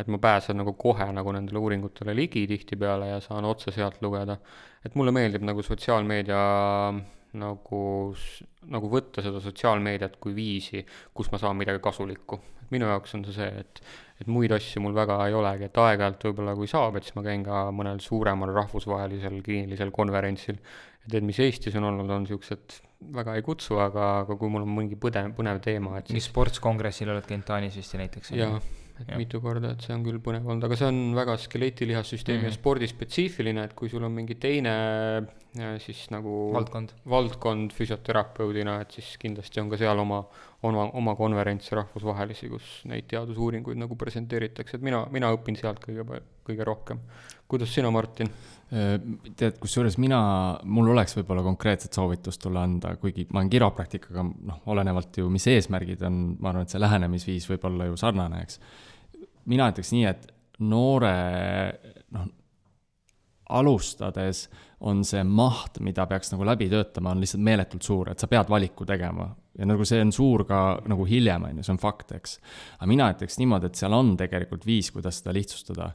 Speaker 2: et ma pääsen nagu kohe nagu nendele uuringutele ligi tihtipeale ja saan otse sealt lugeda. Et mulle meeldib nagu sotsiaalmeedia nagu võtta seda sotsiaalmeediat kui viisi, kus ma saan midagi kasulikku. Et minu jaoks on see, et muid asju mul väga ei olegi, et aeg-ajalt võib-olla kui saab, et siis ma käin ka mõnel suuremal rahvusvahelisel kliinilisel konverentsil. Et mis Eestis on olnud, on siuksed väga ei kutsu, aga kui mul on mingi põnev teema. Et
Speaker 3: siis sportskongressil oled käinud Taanis vist ja näiteks?
Speaker 2: Jah, mitu korda, et see on küll põnev olnud, aga see on väga skeleetilihassüsteemi ja spordispetsiifiline, et kui sul on mingi teine siis nagu
Speaker 3: valdkond
Speaker 2: füsioterapeudina, et siis kindlasti on ka seal oma konverentse rahvusvahelisi, kus neid teadusuuringuid nagu presenteeritakse, et mina õpin sealt kõige rohkem. Kuidas sina, Martin?
Speaker 4: Tead, kusjuures mul oleks võib-olla konkreetset soovitust tulla anda, kuigi ma olen kiropraktikaga, olenevalt ju, mis eesmärgid on, ma arvan, et see lähenemisviis võib olla ju sarnane, eks. Mina ütleks nii, et noore, alustades on see maht, mida peaks nagu läbi töötama, on lihtsalt meeletult suur, et sa pead valiku tegema. Ja nagu see on suur ka nagu hiljem, see on fakt, eks. Aga mina ütleks niimoodi, et seal on tegelikult viis, kuidas seda lihtsustada.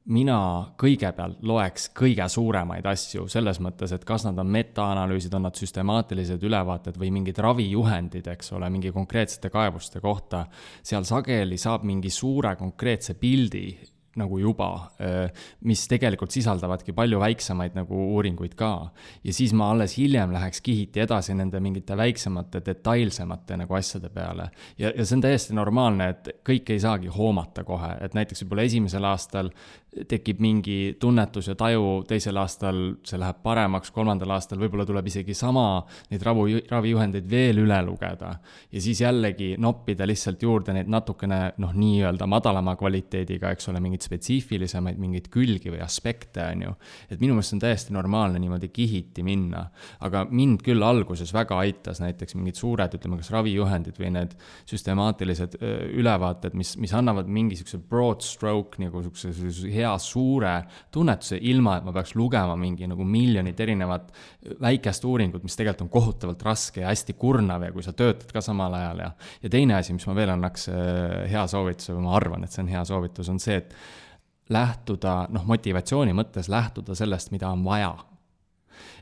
Speaker 4: Mina kõigepealt loeks kõige suuremaid asju selles mõttes, et kas nad on metaanalüüsid, on nad süstemaatilised ülevaated või mingid ravijuhendid, eks ole, mingi konkreetsete kaebuste kohta. Seal sageli saab mingi suure konkreetse pildi nagu juba, mis tegelikult sisaldavadki palju väiksemaid nagu uuringuid ka. Ja siis ma alles hiljem läheks kihiti edasi nende mingite väiksemate, detailsemate nagu asjade peale. Ja see on täiesti normaalne, et kõik ei saagi hoomata kohe, et näiteks võib-olla esimesel aastal tekib mingi tunnetus ja taju, teisel aastal see läheb paremaks, kolmandal aastal võib-olla tuleb isegi sama neid ravijuhendeid veel üle lugeda. Ja siis jällegi noppida lihtsalt juurde neid natukene nii-öelda madalama kvaliteediga, eks ole, mingid spetsiifilisemaid, mingid külgi või aspekte on ju. Et minu meelest on täiesti normaalne niimoodi kihiti minna. Aga mind küll alguses väga aitas näiteks mingid suured, ütleme kas ravijuhendid või need süstemaatilised ülevaated, mis annavad mingi broad stroke, nagu hea suure tunnetuse, ilma et ma peaks lugema mingi nagu miljonit erinevat väikest uuringut, mis tegelikult on kohutavalt raske ja hästi kurnav ja kui sa töötad ka samal ajal. Ja teine asi, mis ma veel annaks hea soovituse, või ma arvan, et see on hea soovitus, on see, et lähtuda, motivatsiooni mõttes lähtuda sellest, mida on vaja.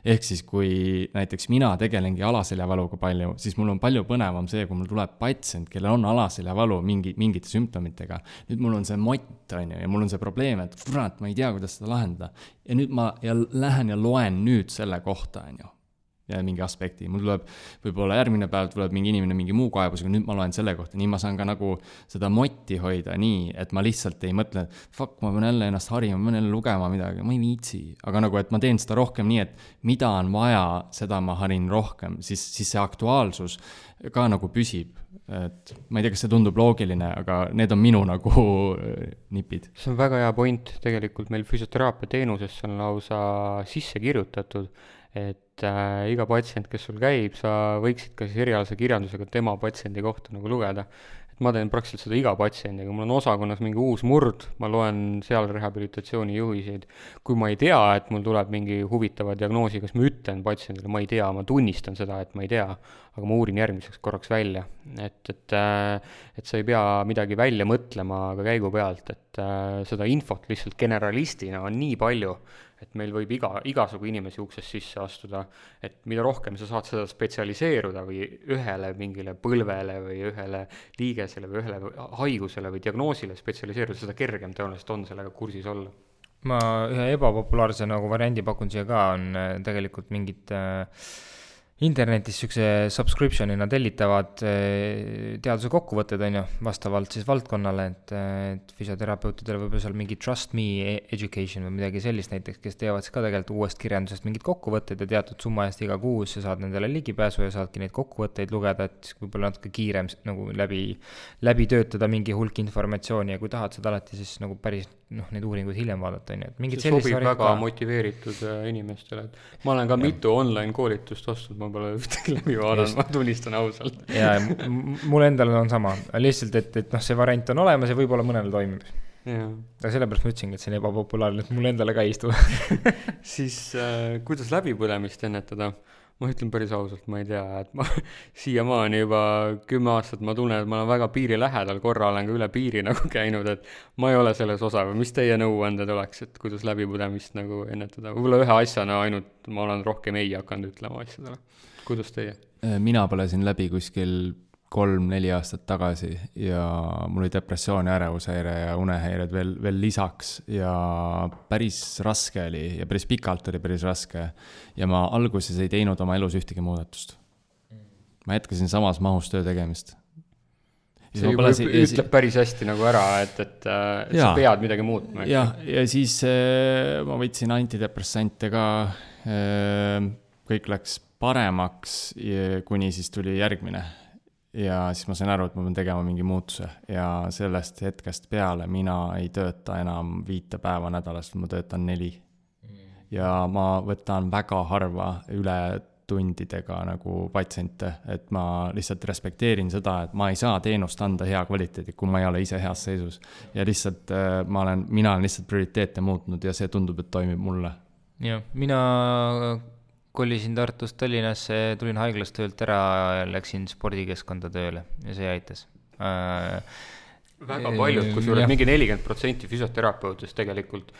Speaker 4: Ehk siis, kui näiteks mina tegelengi alaseljavaluga palju, siis mul on palju põnevam see, kui mul tuleb patsient, kellel on alaseljavalu mingite sümptomitega. Nüüd mul on see mott on ju, ja mul on see probleem, et ma ei tea, kuidas seda lahendada. Ja nüüd ma lähen ja loen nüüd selle kohta on ju. Ja mingi aspekti. Mul tuleb võib-olla järgmine päev tuleb mingi inimene mingi muu kaebusega, nüüd ma loen selle kohta. Nii ma saan ka nagu seda motti hoida nii, et ma lihtsalt ei mõtle, et ma pean jälle ennast harima, ma pean jälle lugema midagi, ma ei viitsi. Aga nagu, et ma teen seda rohkem nii, et mida on vaja, seda ma harin rohkem, siis see aktuaalsus ka nagu püsib. Et ma ei tea, kas see tundub loogiline, aga need on minu nagu nipid.
Speaker 2: See on väga hea point. Tegelikult meil füsioteraapia teenusesse on lausa sisse kirjutatud, et iga patsient, kes sul käib, sa võiksid ka siis erialase kirjandusega tema patsiendi kohta nagu lugeda. Et ma teen praktiliselt seda iga patsiendiga, mul on osakonnas mingi uus murd, ma loen seal rehabilitatsiooni juhiseid. Kui ma ei tea, et mul tuleb mingi huvitava diagnoosi, kas ma ütlen patsiendile, ma ei tea, ma tunnistan seda, et ma ei tea, aga ma uurin järgmiseks korraks välja. Et sa ei pea midagi välja mõtlema ka käigu pealt, et seda infot lihtsalt generalistina on nii palju, et meil võib igasugu inimesi uksest sisse astuda, et mida rohkem sa saad seda spetsialiseeruda või ühele mingile põlvele või ühele liigesele või ühele haigusele või diagnoosile spetsialiseeruda, seda kergem tõenäoliselt on sellega kursis olla.
Speaker 3: Ma ühe ebapopulaarse nagu variandi pakun siia ka, on tegelikult mingid internetis sükse subscriptionina tellitavad teaduse kokkuvõtted on ju, vastavalt siis valdkonnale, et füsioterapeutidele võib-olla seal mingi Trust Me Education või midagi sellist näiteks, kes teevad siis ka tegelikult uuest kirjandusest mingid kokkuvõtted ja teatud summa eest iga kuus sa saad nendele ligipääsu ja saadki neid kokkuvõtteid lugeda, et võib-olla natuke kiirem nagu läbi töötada mingi hulk informatsiooni ja kui tahad seda alati siis nagu päris neid uuringuid hiljem vaadata, on ju, et mingid
Speaker 2: see sobib väga motiveeritud inimestele, et ma olen ka mitu online koolitust ostnud, ma pole ühtegi läbi vaadanud, ma tunnistan ausalt.
Speaker 3: Ja mul endal on sama, lihtsalt, et see variant on olemas ja võib-olla mõnele toimib. Aga sellepärast ma ütlesingi, et see on ebapopulaarne, et mul endale ka ei istu.
Speaker 2: Siis kuidas läbipõlemist ennetada? Ma ütlen päris ausalt, ma ei tea, et ma siiamaani juba 10 aastat ma tunnen, et ma olen väga piiri lähedal, korra olen ka üle piiri nagu käinud, et ma ei ole selles osa või mis teie nõuanded oleks, et kuidas läbipõlemist nagu ennetada? Võib-olla ühe asjana ainult ma olen rohkem ei hakanud ütlema asjadele. Kuidas teie?
Speaker 4: Mina põlesin läbi kuskil 3-4 aastat tagasi ja mul oli depressioon ja ärevushäire ja unehäired veel lisaks ja päris raske oli ja päris pikalt oli päris raske ja ma alguses ei teinud oma elus ühtegi muudatust. Ma jätkasin samas mahus töö tegemist.
Speaker 2: See ütleb päris hästi nagu ära, et sa pead midagi muutma.
Speaker 4: Ja siis ma võtsin antidepressante ka kõik läks paremaks, kuni siis tuli järgmine. Ja siis ma sain aru, et ma pean tegema mingi muutuse ja sellest hetkest peale mina ei tööta enam 5 päeva nädalast, ma töötan 4. Ja ma võtan väga harva üle tundidega nagu patsiente, et ma lihtsalt respekteerin seda, et ma ei saa teenust anda hea kvaliteedi, kui ma ei ole ise heas seisus. Ja lihtsalt mina olen lihtsalt prioriteete muutnud ja see tundub, et toimib mulle.
Speaker 3: Ja, mina kolisin Tartust Tallinnasse, tulin haiglast töölt ära ja läksin spordikeskkonda tööle ja see aitas.
Speaker 2: Väga paljud, kui sul mingi 40% füsioterapeutist tegelikult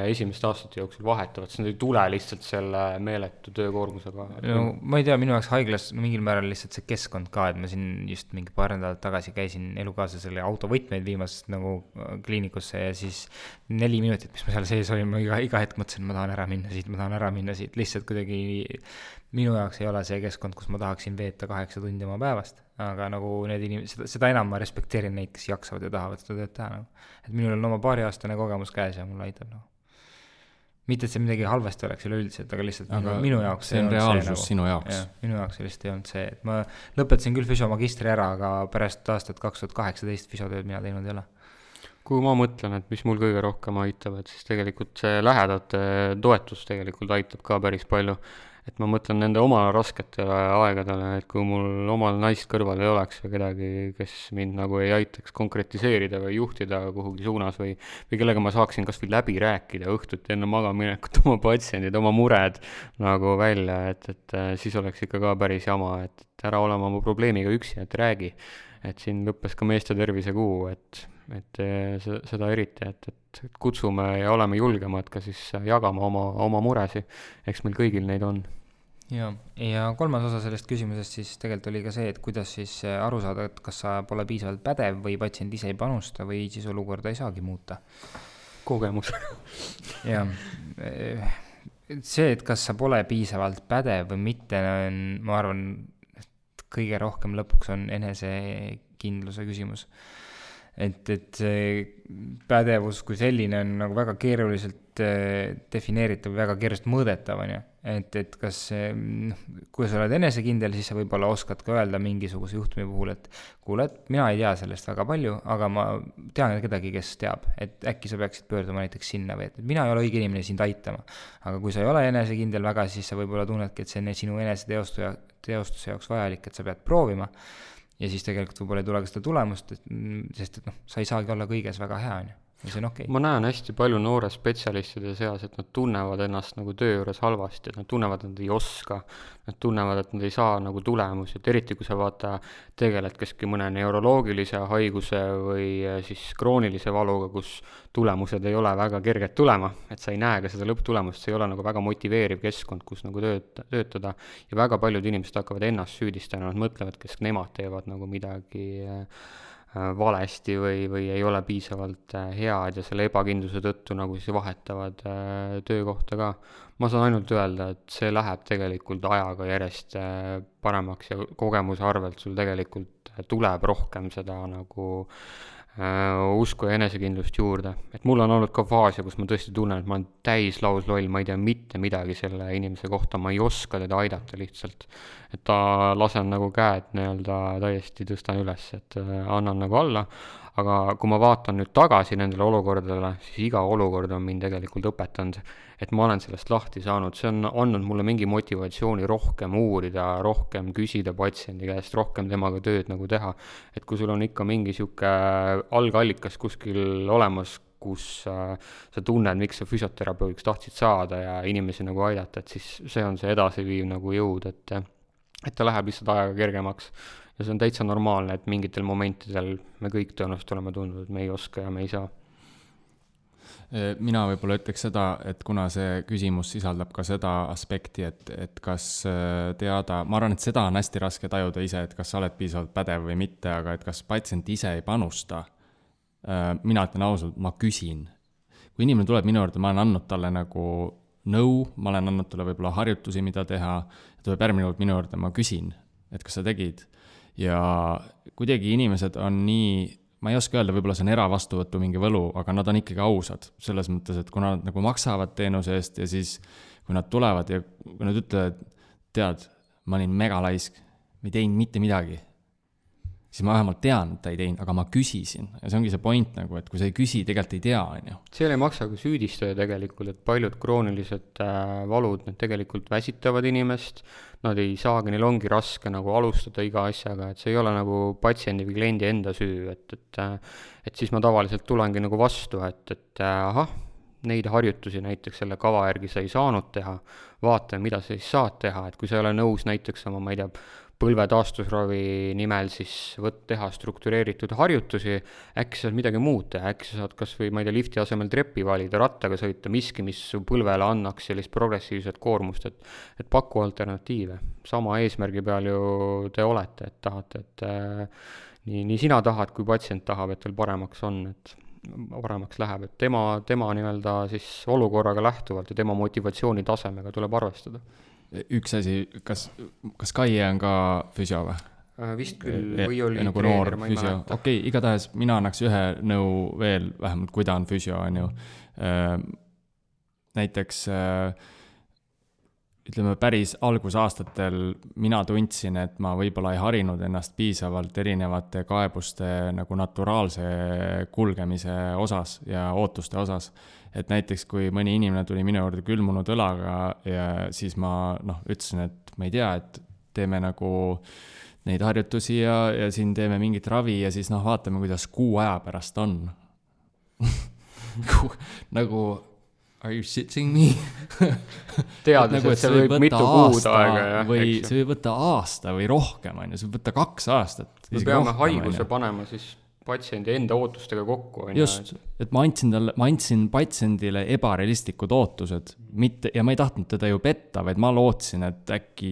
Speaker 2: esimeste aastate jooksul vahetavad, siis nad ei tule lihtsalt selle meeletu töökoormusega.
Speaker 3: No, ma ei tea, minu jaoks haiglas mingil määral lihtsalt see keskkond ka, et ma siin just mingi paar nädalat tagasi käisin elukaaslasele autovõtmeid viimas nagu kliinikusse ja siis 4 minutit, mis ma seal sees olin, ma iga hetk mõtlesin, ma tahan ära minna siit, lihtsalt kuidagi minu jaoks ei ole see keskkond, kus ma tahaksin veeta 8 tundi oma päevast, aga nagu need inimesed, seda enam ma respekteerin neid, kes jaksavad ja tahavad seda tööd teha nagu. Et minul on oma 2-aastane kogemus käes ja mulle aitab nagu. Mitte, et see midagi halvasti oleks üleüldiselt, aga lihtsalt minu jaoks
Speaker 4: see on reaalsus sinu jaoks.
Speaker 3: Minu jaoks lihtsalt ei olnud see, et ma lõpetasin küll füsiomagistri ära, aga pärast aastat 2018 füsiotööd mina teinud ei ole.
Speaker 2: Kui ma mõtlen, et mis mul kõige rohkem aitab, et siis tegelikult see lähedate toetus tegelikult aitab ka päris palju. Et ma mõtlen nende oma rasketele aegadele, et kui mul omal naist kõrval ei oleks või kedagi, kes mind nagu ei aitaks konkretiseerida või juhtida kuhugi suunas või kellega ma saaksin kas või läbi rääkida õhtuti enne magaminekut oma patsiendid, oma mured nagu välja, et siis oleks ikka ka päris jama, et ära olema oma probleemiga üksi, et räägi. Et siin lõppes ka meeste tervise kuu, et seda eriti, et kutsume ja oleme julgemad ka siis jagama oma muresi, eks meil kõigil neid on.
Speaker 3: Ja 3. osa sellest küsimusest siis tegelikult oli ka see, et kuidas siis aru saada, et kas sa pole piisavalt pädev või patsient ise ei panusta või siis olukorda ei saagi muuta.
Speaker 2: Kogemus.
Speaker 3: Ja see, et kas sa pole piisavalt pädev või mitte, on, ma arvan, et kõige rohkem lõpuks on enesekindluse küsimus. Et see pädevus kui selline on nagu väga keeruliselt defineeritav või väga keeruliselt mõõdetav, on ju. Et kas, kui sa oled enesekindel, siis sa võib-olla oskad ka öelda mingisuguse juhtumi puhul, et kuule, et mina ei tea sellest väga palju, aga ma tean kedagi, kes teab, et äkki sa peaksid pöörduma näiteks sinna või et mina ei ole õige inimene sind aitama. Aga kui sa ei ole enesekindel väga, siis sa võib-olla tunnedki, et see on sinu eneseteostuse jaoks vajalik, et sa pead proovima. Ja siis tegelikult võib-olla ei tule ka seda tulemust, sest et sa ei saagi olla kõiges väga hea, on ju. Ja see on okei.
Speaker 2: Ma näen hästi palju noore spetsialistide seas, et nad tunnevad ennast nagu töö juures halvasti, et nad tunnevad, et nad ei oska, nad tunnevad, et nad ei saa nagu tulemusi, et eriti kui sa vaata tegeled keski mõne neuroloogilise haiguse või siis kroonilise valuga, kus tulemused ei ole väga kerged tulema, et sa ei näe ka seda lõpptulemust, see ei ole nagu väga motiveeriv keskkond, kus nagu töötada ja väga paljud inimesed hakkavad ennast süüdistama, nad mõtlevad, kes nemad teevad nagu midagi valesti või ei ole piisavalt head ja selle ebakindluse tõttu nagu siis vahetavad töökohta ka. Ma saan ainult öelda, et see läheb tegelikult ajaga järjest paremaks ja kogemuse arvelt sul tegelikult tuleb rohkem seda nagu usku ja enesekindlust juurde. Et mul on olnud ka faase, kus ma tõesti tunnen, et ma olen täis lausloll, ma ei tea mitte midagi selle inimese kohta, ma ei oska teda aidata lihtsalt. Et ta lasen nagu käed täiesti tõstan üles, et annan nagu alla. Aga kui ma vaatan nüüd tagasi nendele olukordadele, siis iga olukord on mind tegelikult õpetanud, et ma olen sellest lahti saanud. See on andnud mulle mingi motivatsiooni rohkem uurida, rohkem küsida patsiendi käest, rohkem temaga tööd nagu teha. Et kui sul on ikka mingi siuke algallikas kuskil olemas, kus sa tunned, miks sa füsioterapeudiks tahtsid saada ja inimesi nagu aidata, et siis see on see edasiviiv nagu jõud, et ta läheb lihtsalt ajaga kergemaks. Ja see on täitsa normaalne, et mingitel momentidel me kõik tõenäoliselt oleme tundnud, et me ei oska ja me ei saa.
Speaker 4: Mina võib-olla ütleks seda, et kuna see küsimus sisaldab ka seda aspekti, et kas teada, ma arvan, et seda on hästi raske tajuda ise, et kas sa oled piisavalt pädev või mitte, aga et kas patsient ise ei panusta. Mina ütlen ausalt, ma küsin. Kui inimene tuleb minu juurde, ma olen andnud talle nagu nõu, ma olen andnud talle võib-olla harjutusi, mida teha, tuleb järgmine kord minu juurde, ma küsin, et kas sa tegid. Ja kuidagi inimesed on nii, ma ei oska öelda, võib-olla see on eravastuvõtu mingi võlu, aga nad on ikkagi ausad selles mõttes, et kuna nad nagu maksavad teenuse eest ja siis kui nad tulevad ja kui nad ütlevad, tead, ma olin megalaisk, ma ei teinud mitte midagi, siis ma vähemalt tean, et ta ei teinud, aga ma küsisin. Ja see ongi see point nagu, et kui sa ei küsi, tegelikult ei tea, on ju.
Speaker 2: Seal ei maksa ka süüdistada tegelikult, et paljud kroonilised valud, need tegelikult väsitavad inimest, nad ei saagi, neil ongi raske nagu alustada iga asjaga, et see ei ole nagu patsiendi või kliendi enda süü, et siis ma tavaliselt tulengi nagu vastu, et ahah, neid harjutusi näiteks selle kava järgi sa ei saanud teha, vaata, mida sa siis saad teha, et kui sa ei ole nõus näiteks oma, ma ei tea, põlve taastusravi nimel siis teha struktureeritud harjutusi, äkki saad midagi muud teha, äkki sa saad kas või, ma ei tea, lifti asemel treppi valida, rattaga sõita, miski, mis su põlvele annaks sellist progressiivset koormust, et paku alternatiive. Sama eesmärgi peal ju te olete, et tahate, et nii sina tahad, kui patsient tahab, et teil paremaks on, et paremaks läheb, et tema nii-öelda siis olukorraga lähtuvalt ja tema motivatsiooni tasemega tuleb arvestada.
Speaker 4: Üks asi, kas Kaie on ka füsio või?
Speaker 2: Vist küll, või oli
Speaker 4: nagu
Speaker 2: treener, ma ei
Speaker 4: füsio.
Speaker 2: mäleta.
Speaker 4: Okei, igatahes mina annaks ühe nõu veel, vähemalt kui ta on füsio, on ju. Näiteks ütleme päris algusaastatel mina tundsin, et ma võib-olla ei harinud ennast piisavalt erinevate kaebuste nagu naturaalse kulgemise osas ja ootuste osas. Et näiteks kui mõni inimene tuli minu juurde külmunud õlaga ja siis ma ütlesin, et ma ei tea, et teeme nagu neid harjutusi ja siin teeme mingit ravi ja siis vaatame, kuidas kuu aja pärast on. nagu are you shitting me?
Speaker 2: Teades, et see võib mitu kuud aega.
Speaker 4: Või see võib võtta aasta või rohkem, on ju, see võib võtta 2 aastat.
Speaker 2: Me peame haiguse panema siis patsiendi enda ootustega kokku.
Speaker 4: Just, et ma andsin patsiendile ebarealistlikud ootused, ja ma ei tahtnud teda ju petta, vaid ma lootsin, et äkki,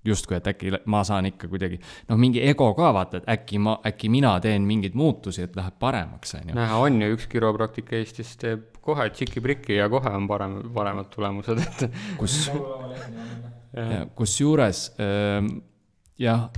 Speaker 4: justkui, et äkki ma saan ikka kuidagi, mingi ego ka vaata, et äkki mina teen mingeid muutusi, et läheb paremaks.
Speaker 2: Näha on ju, üks kiropraktik Eestis teeb kohe tšiki-priki ja kohe on paremad tulemused.
Speaker 4: Kus juures, jah,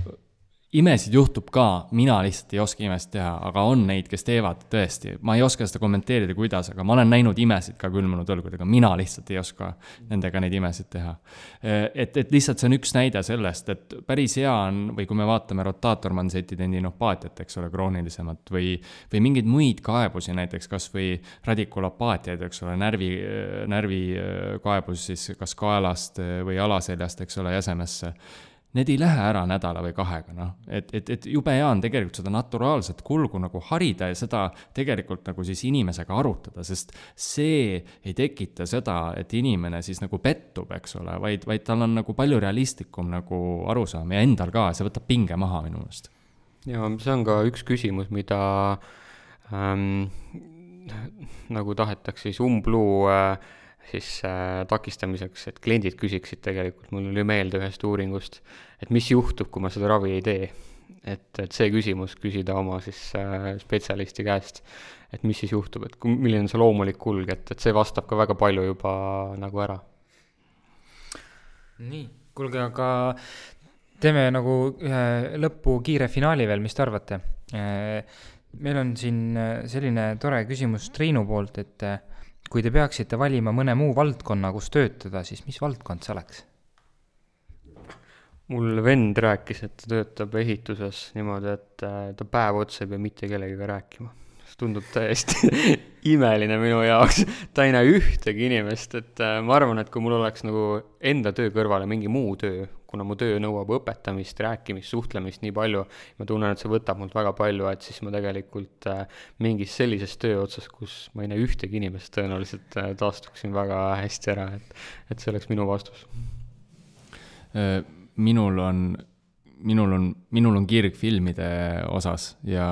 Speaker 4: imesid juhtub ka, mina lihtsalt ei oska imest teha, aga on neid, kes teevad tõesti. Ma ei oska seda kommenteerida, kuidas, aga ma olen näinud imesid ka külmunud õlgudega. Mina lihtsalt ei oska nendega neid imesid teha. Et lihtsalt see on üks näide sellest, et päris hea on, või kui me vaatame rotaatormansetti tendinopaatiat, eks ole, kroonilisemat, või mingeid muid kaebusi, näiteks kas või radikulapaatiaid, eks ole, närvi kaebus siis kas kaelast või alaseljast, eks ole, jäsemesse. Need ei lähe ära nädala või 2, et jube hea on tegelikult seda naturaalset kulgu nagu harida ja seda tegelikult nagu siis inimesega arutada, sest see ei tekita seda, et inimene siis nagu pettub, eks ole, vaid tal on nagu palju realistlikum nagu arusaam ja endal ka, see võtab pinge maha minu meelest.
Speaker 2: Ja see on ka üks küsimus, mida nagu tahetakse siis umbluu siis takistamiseks, et kliendid küsiksid tegelikult, mul oli meelde ühest uuringust, et mis juhtub, kui ma seda ravi ei tee. Et see küsimus küsida oma siis spetsialisti käest, et mis siis juhtub, et milline on see loomulik kulg, et see vastab ka väga palju juba nagu ära.
Speaker 3: Nii, kuulge, aga teeme nagu ühe lõppu kiire finaali veel, mis te arvate? Meil on siin selline tore küsimus Triinu poolt, et kui te peaksite valima mõne muu valdkonna, kus töötada, siis mis valdkond see oleks?
Speaker 2: Mul vend rääkis, et ta töötab ehituses niimoodi, et ta päev otsa ei pea mitte kellegiga rääkima. See tundub täiesti imeline minu jaoks. Ta ei näe ühtegi inimest, et ma arvan, et kui mul oleks nagu enda töö kõrvale mingi muu töö, kuna mu töö nõuab õpetamist, rääkimist, suhtlemist nii palju, ma tunnen, et see võtab mult väga palju, et siis ma tegelikult mingis sellises töö otsas, kus ma ei näe ühtegi inimest, tõenäoliselt taastuksin väga hästi ära, et see oleks minu vastus.
Speaker 4: Minul on kirg filmide osas ja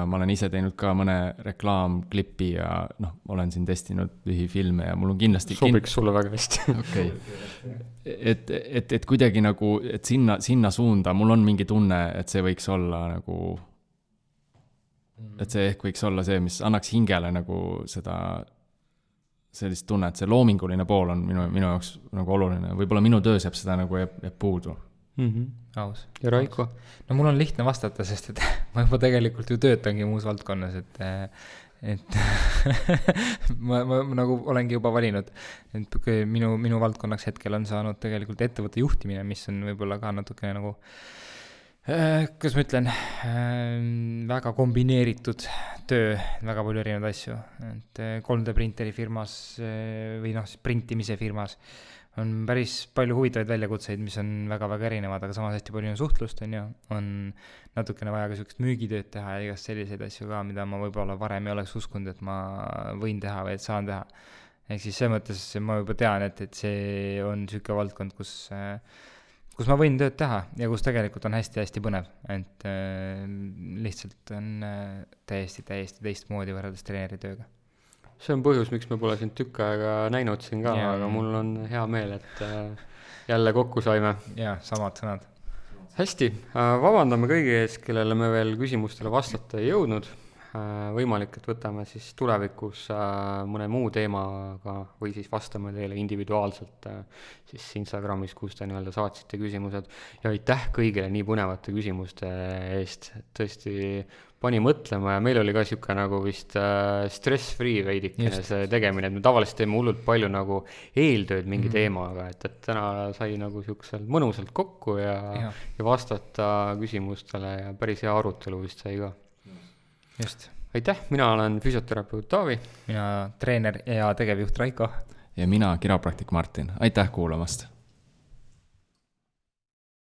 Speaker 4: ma olen ise teinud ka mõne reklaamklippi ja olen siin testinud lühifilme ja mul on kindlasti
Speaker 2: sobiks sulle väga hästi.
Speaker 4: Okay. Et kuidagi nagu, et sinna suunda mul on mingi tunne, et see võiks olla nagu, et see ehk võiks olla see, mis annaks hingele nagu seda sellist tunne, et see loominguline pool on minu jaoks nagu oluline. Võib-olla minu töös jääb seda nagu jääb puudu.
Speaker 3: Aus.
Speaker 2: Ja Raiko?
Speaker 3: No mul on lihtne vastata, sest et ma juba tegelikult ju töötangi muus valdkonnas, et ma nagu olengi juba valinud, et minu valdkonnaks hetkel on saanud tegelikult ettevõtte juhtimine, mis on võib-olla ka natukene nagu kuidas ma ütlen, väga kombineeritud töö, väga palju erinevaid asju, et 3D printeri firmas või siis printimise firmas on päris palju huvitavaid väljakutseid, mis on väga-väga erinevad, aga samas hästi palju on suhtlust, on natukene vaja ka sellist müügitööd teha ja igast selliseid asju ka, mida ma võib-olla varem ei oleks uskunud, et ma võin teha või et saan teha. Ehk siis see mõttes ma juba tean, et see on niisugune valdkond, kus ma võin tööd teha ja kus tegelikult on hästi-hästi põnev, et lihtsalt on täiesti teistmoodi võrreldes treeneri tööga.
Speaker 2: See on põhjus, miks me pole sind tükk aega näinud siin ka, aga mul on hea meel, et jälle kokku saime.
Speaker 3: Jaa, samad sõnad.
Speaker 2: Hästi, vabandame kõigi ees, kellele me veel küsimustele vastata ei jõudnud. Võimalik, et võtame siis tulevikus mõne muu teemaga või siis vastame teile individuaalselt siis Instagramis, kus te nii-öelda saatsite küsimused. Ja aitäh kõigile nii põnevate küsimuste eest. Tõesti pani mõtlema ja meil oli ka siuke nagu vist stress-free veidikene see tegemine, et me tavaliselt teeme hullult palju nagu eeltööd mingi teemaga, et täna sai nagu siuksel mõnusalt kokku ja vastata küsimustele ja päris hea arutelu vist sai ka.
Speaker 3: Just.
Speaker 2: Aitäh, mina olen füsioterapeut Taavi.
Speaker 3: Mina treener ja tegevjuht Raiko.
Speaker 4: Ja mina kiropraktik Martin. Aitäh kuulamast!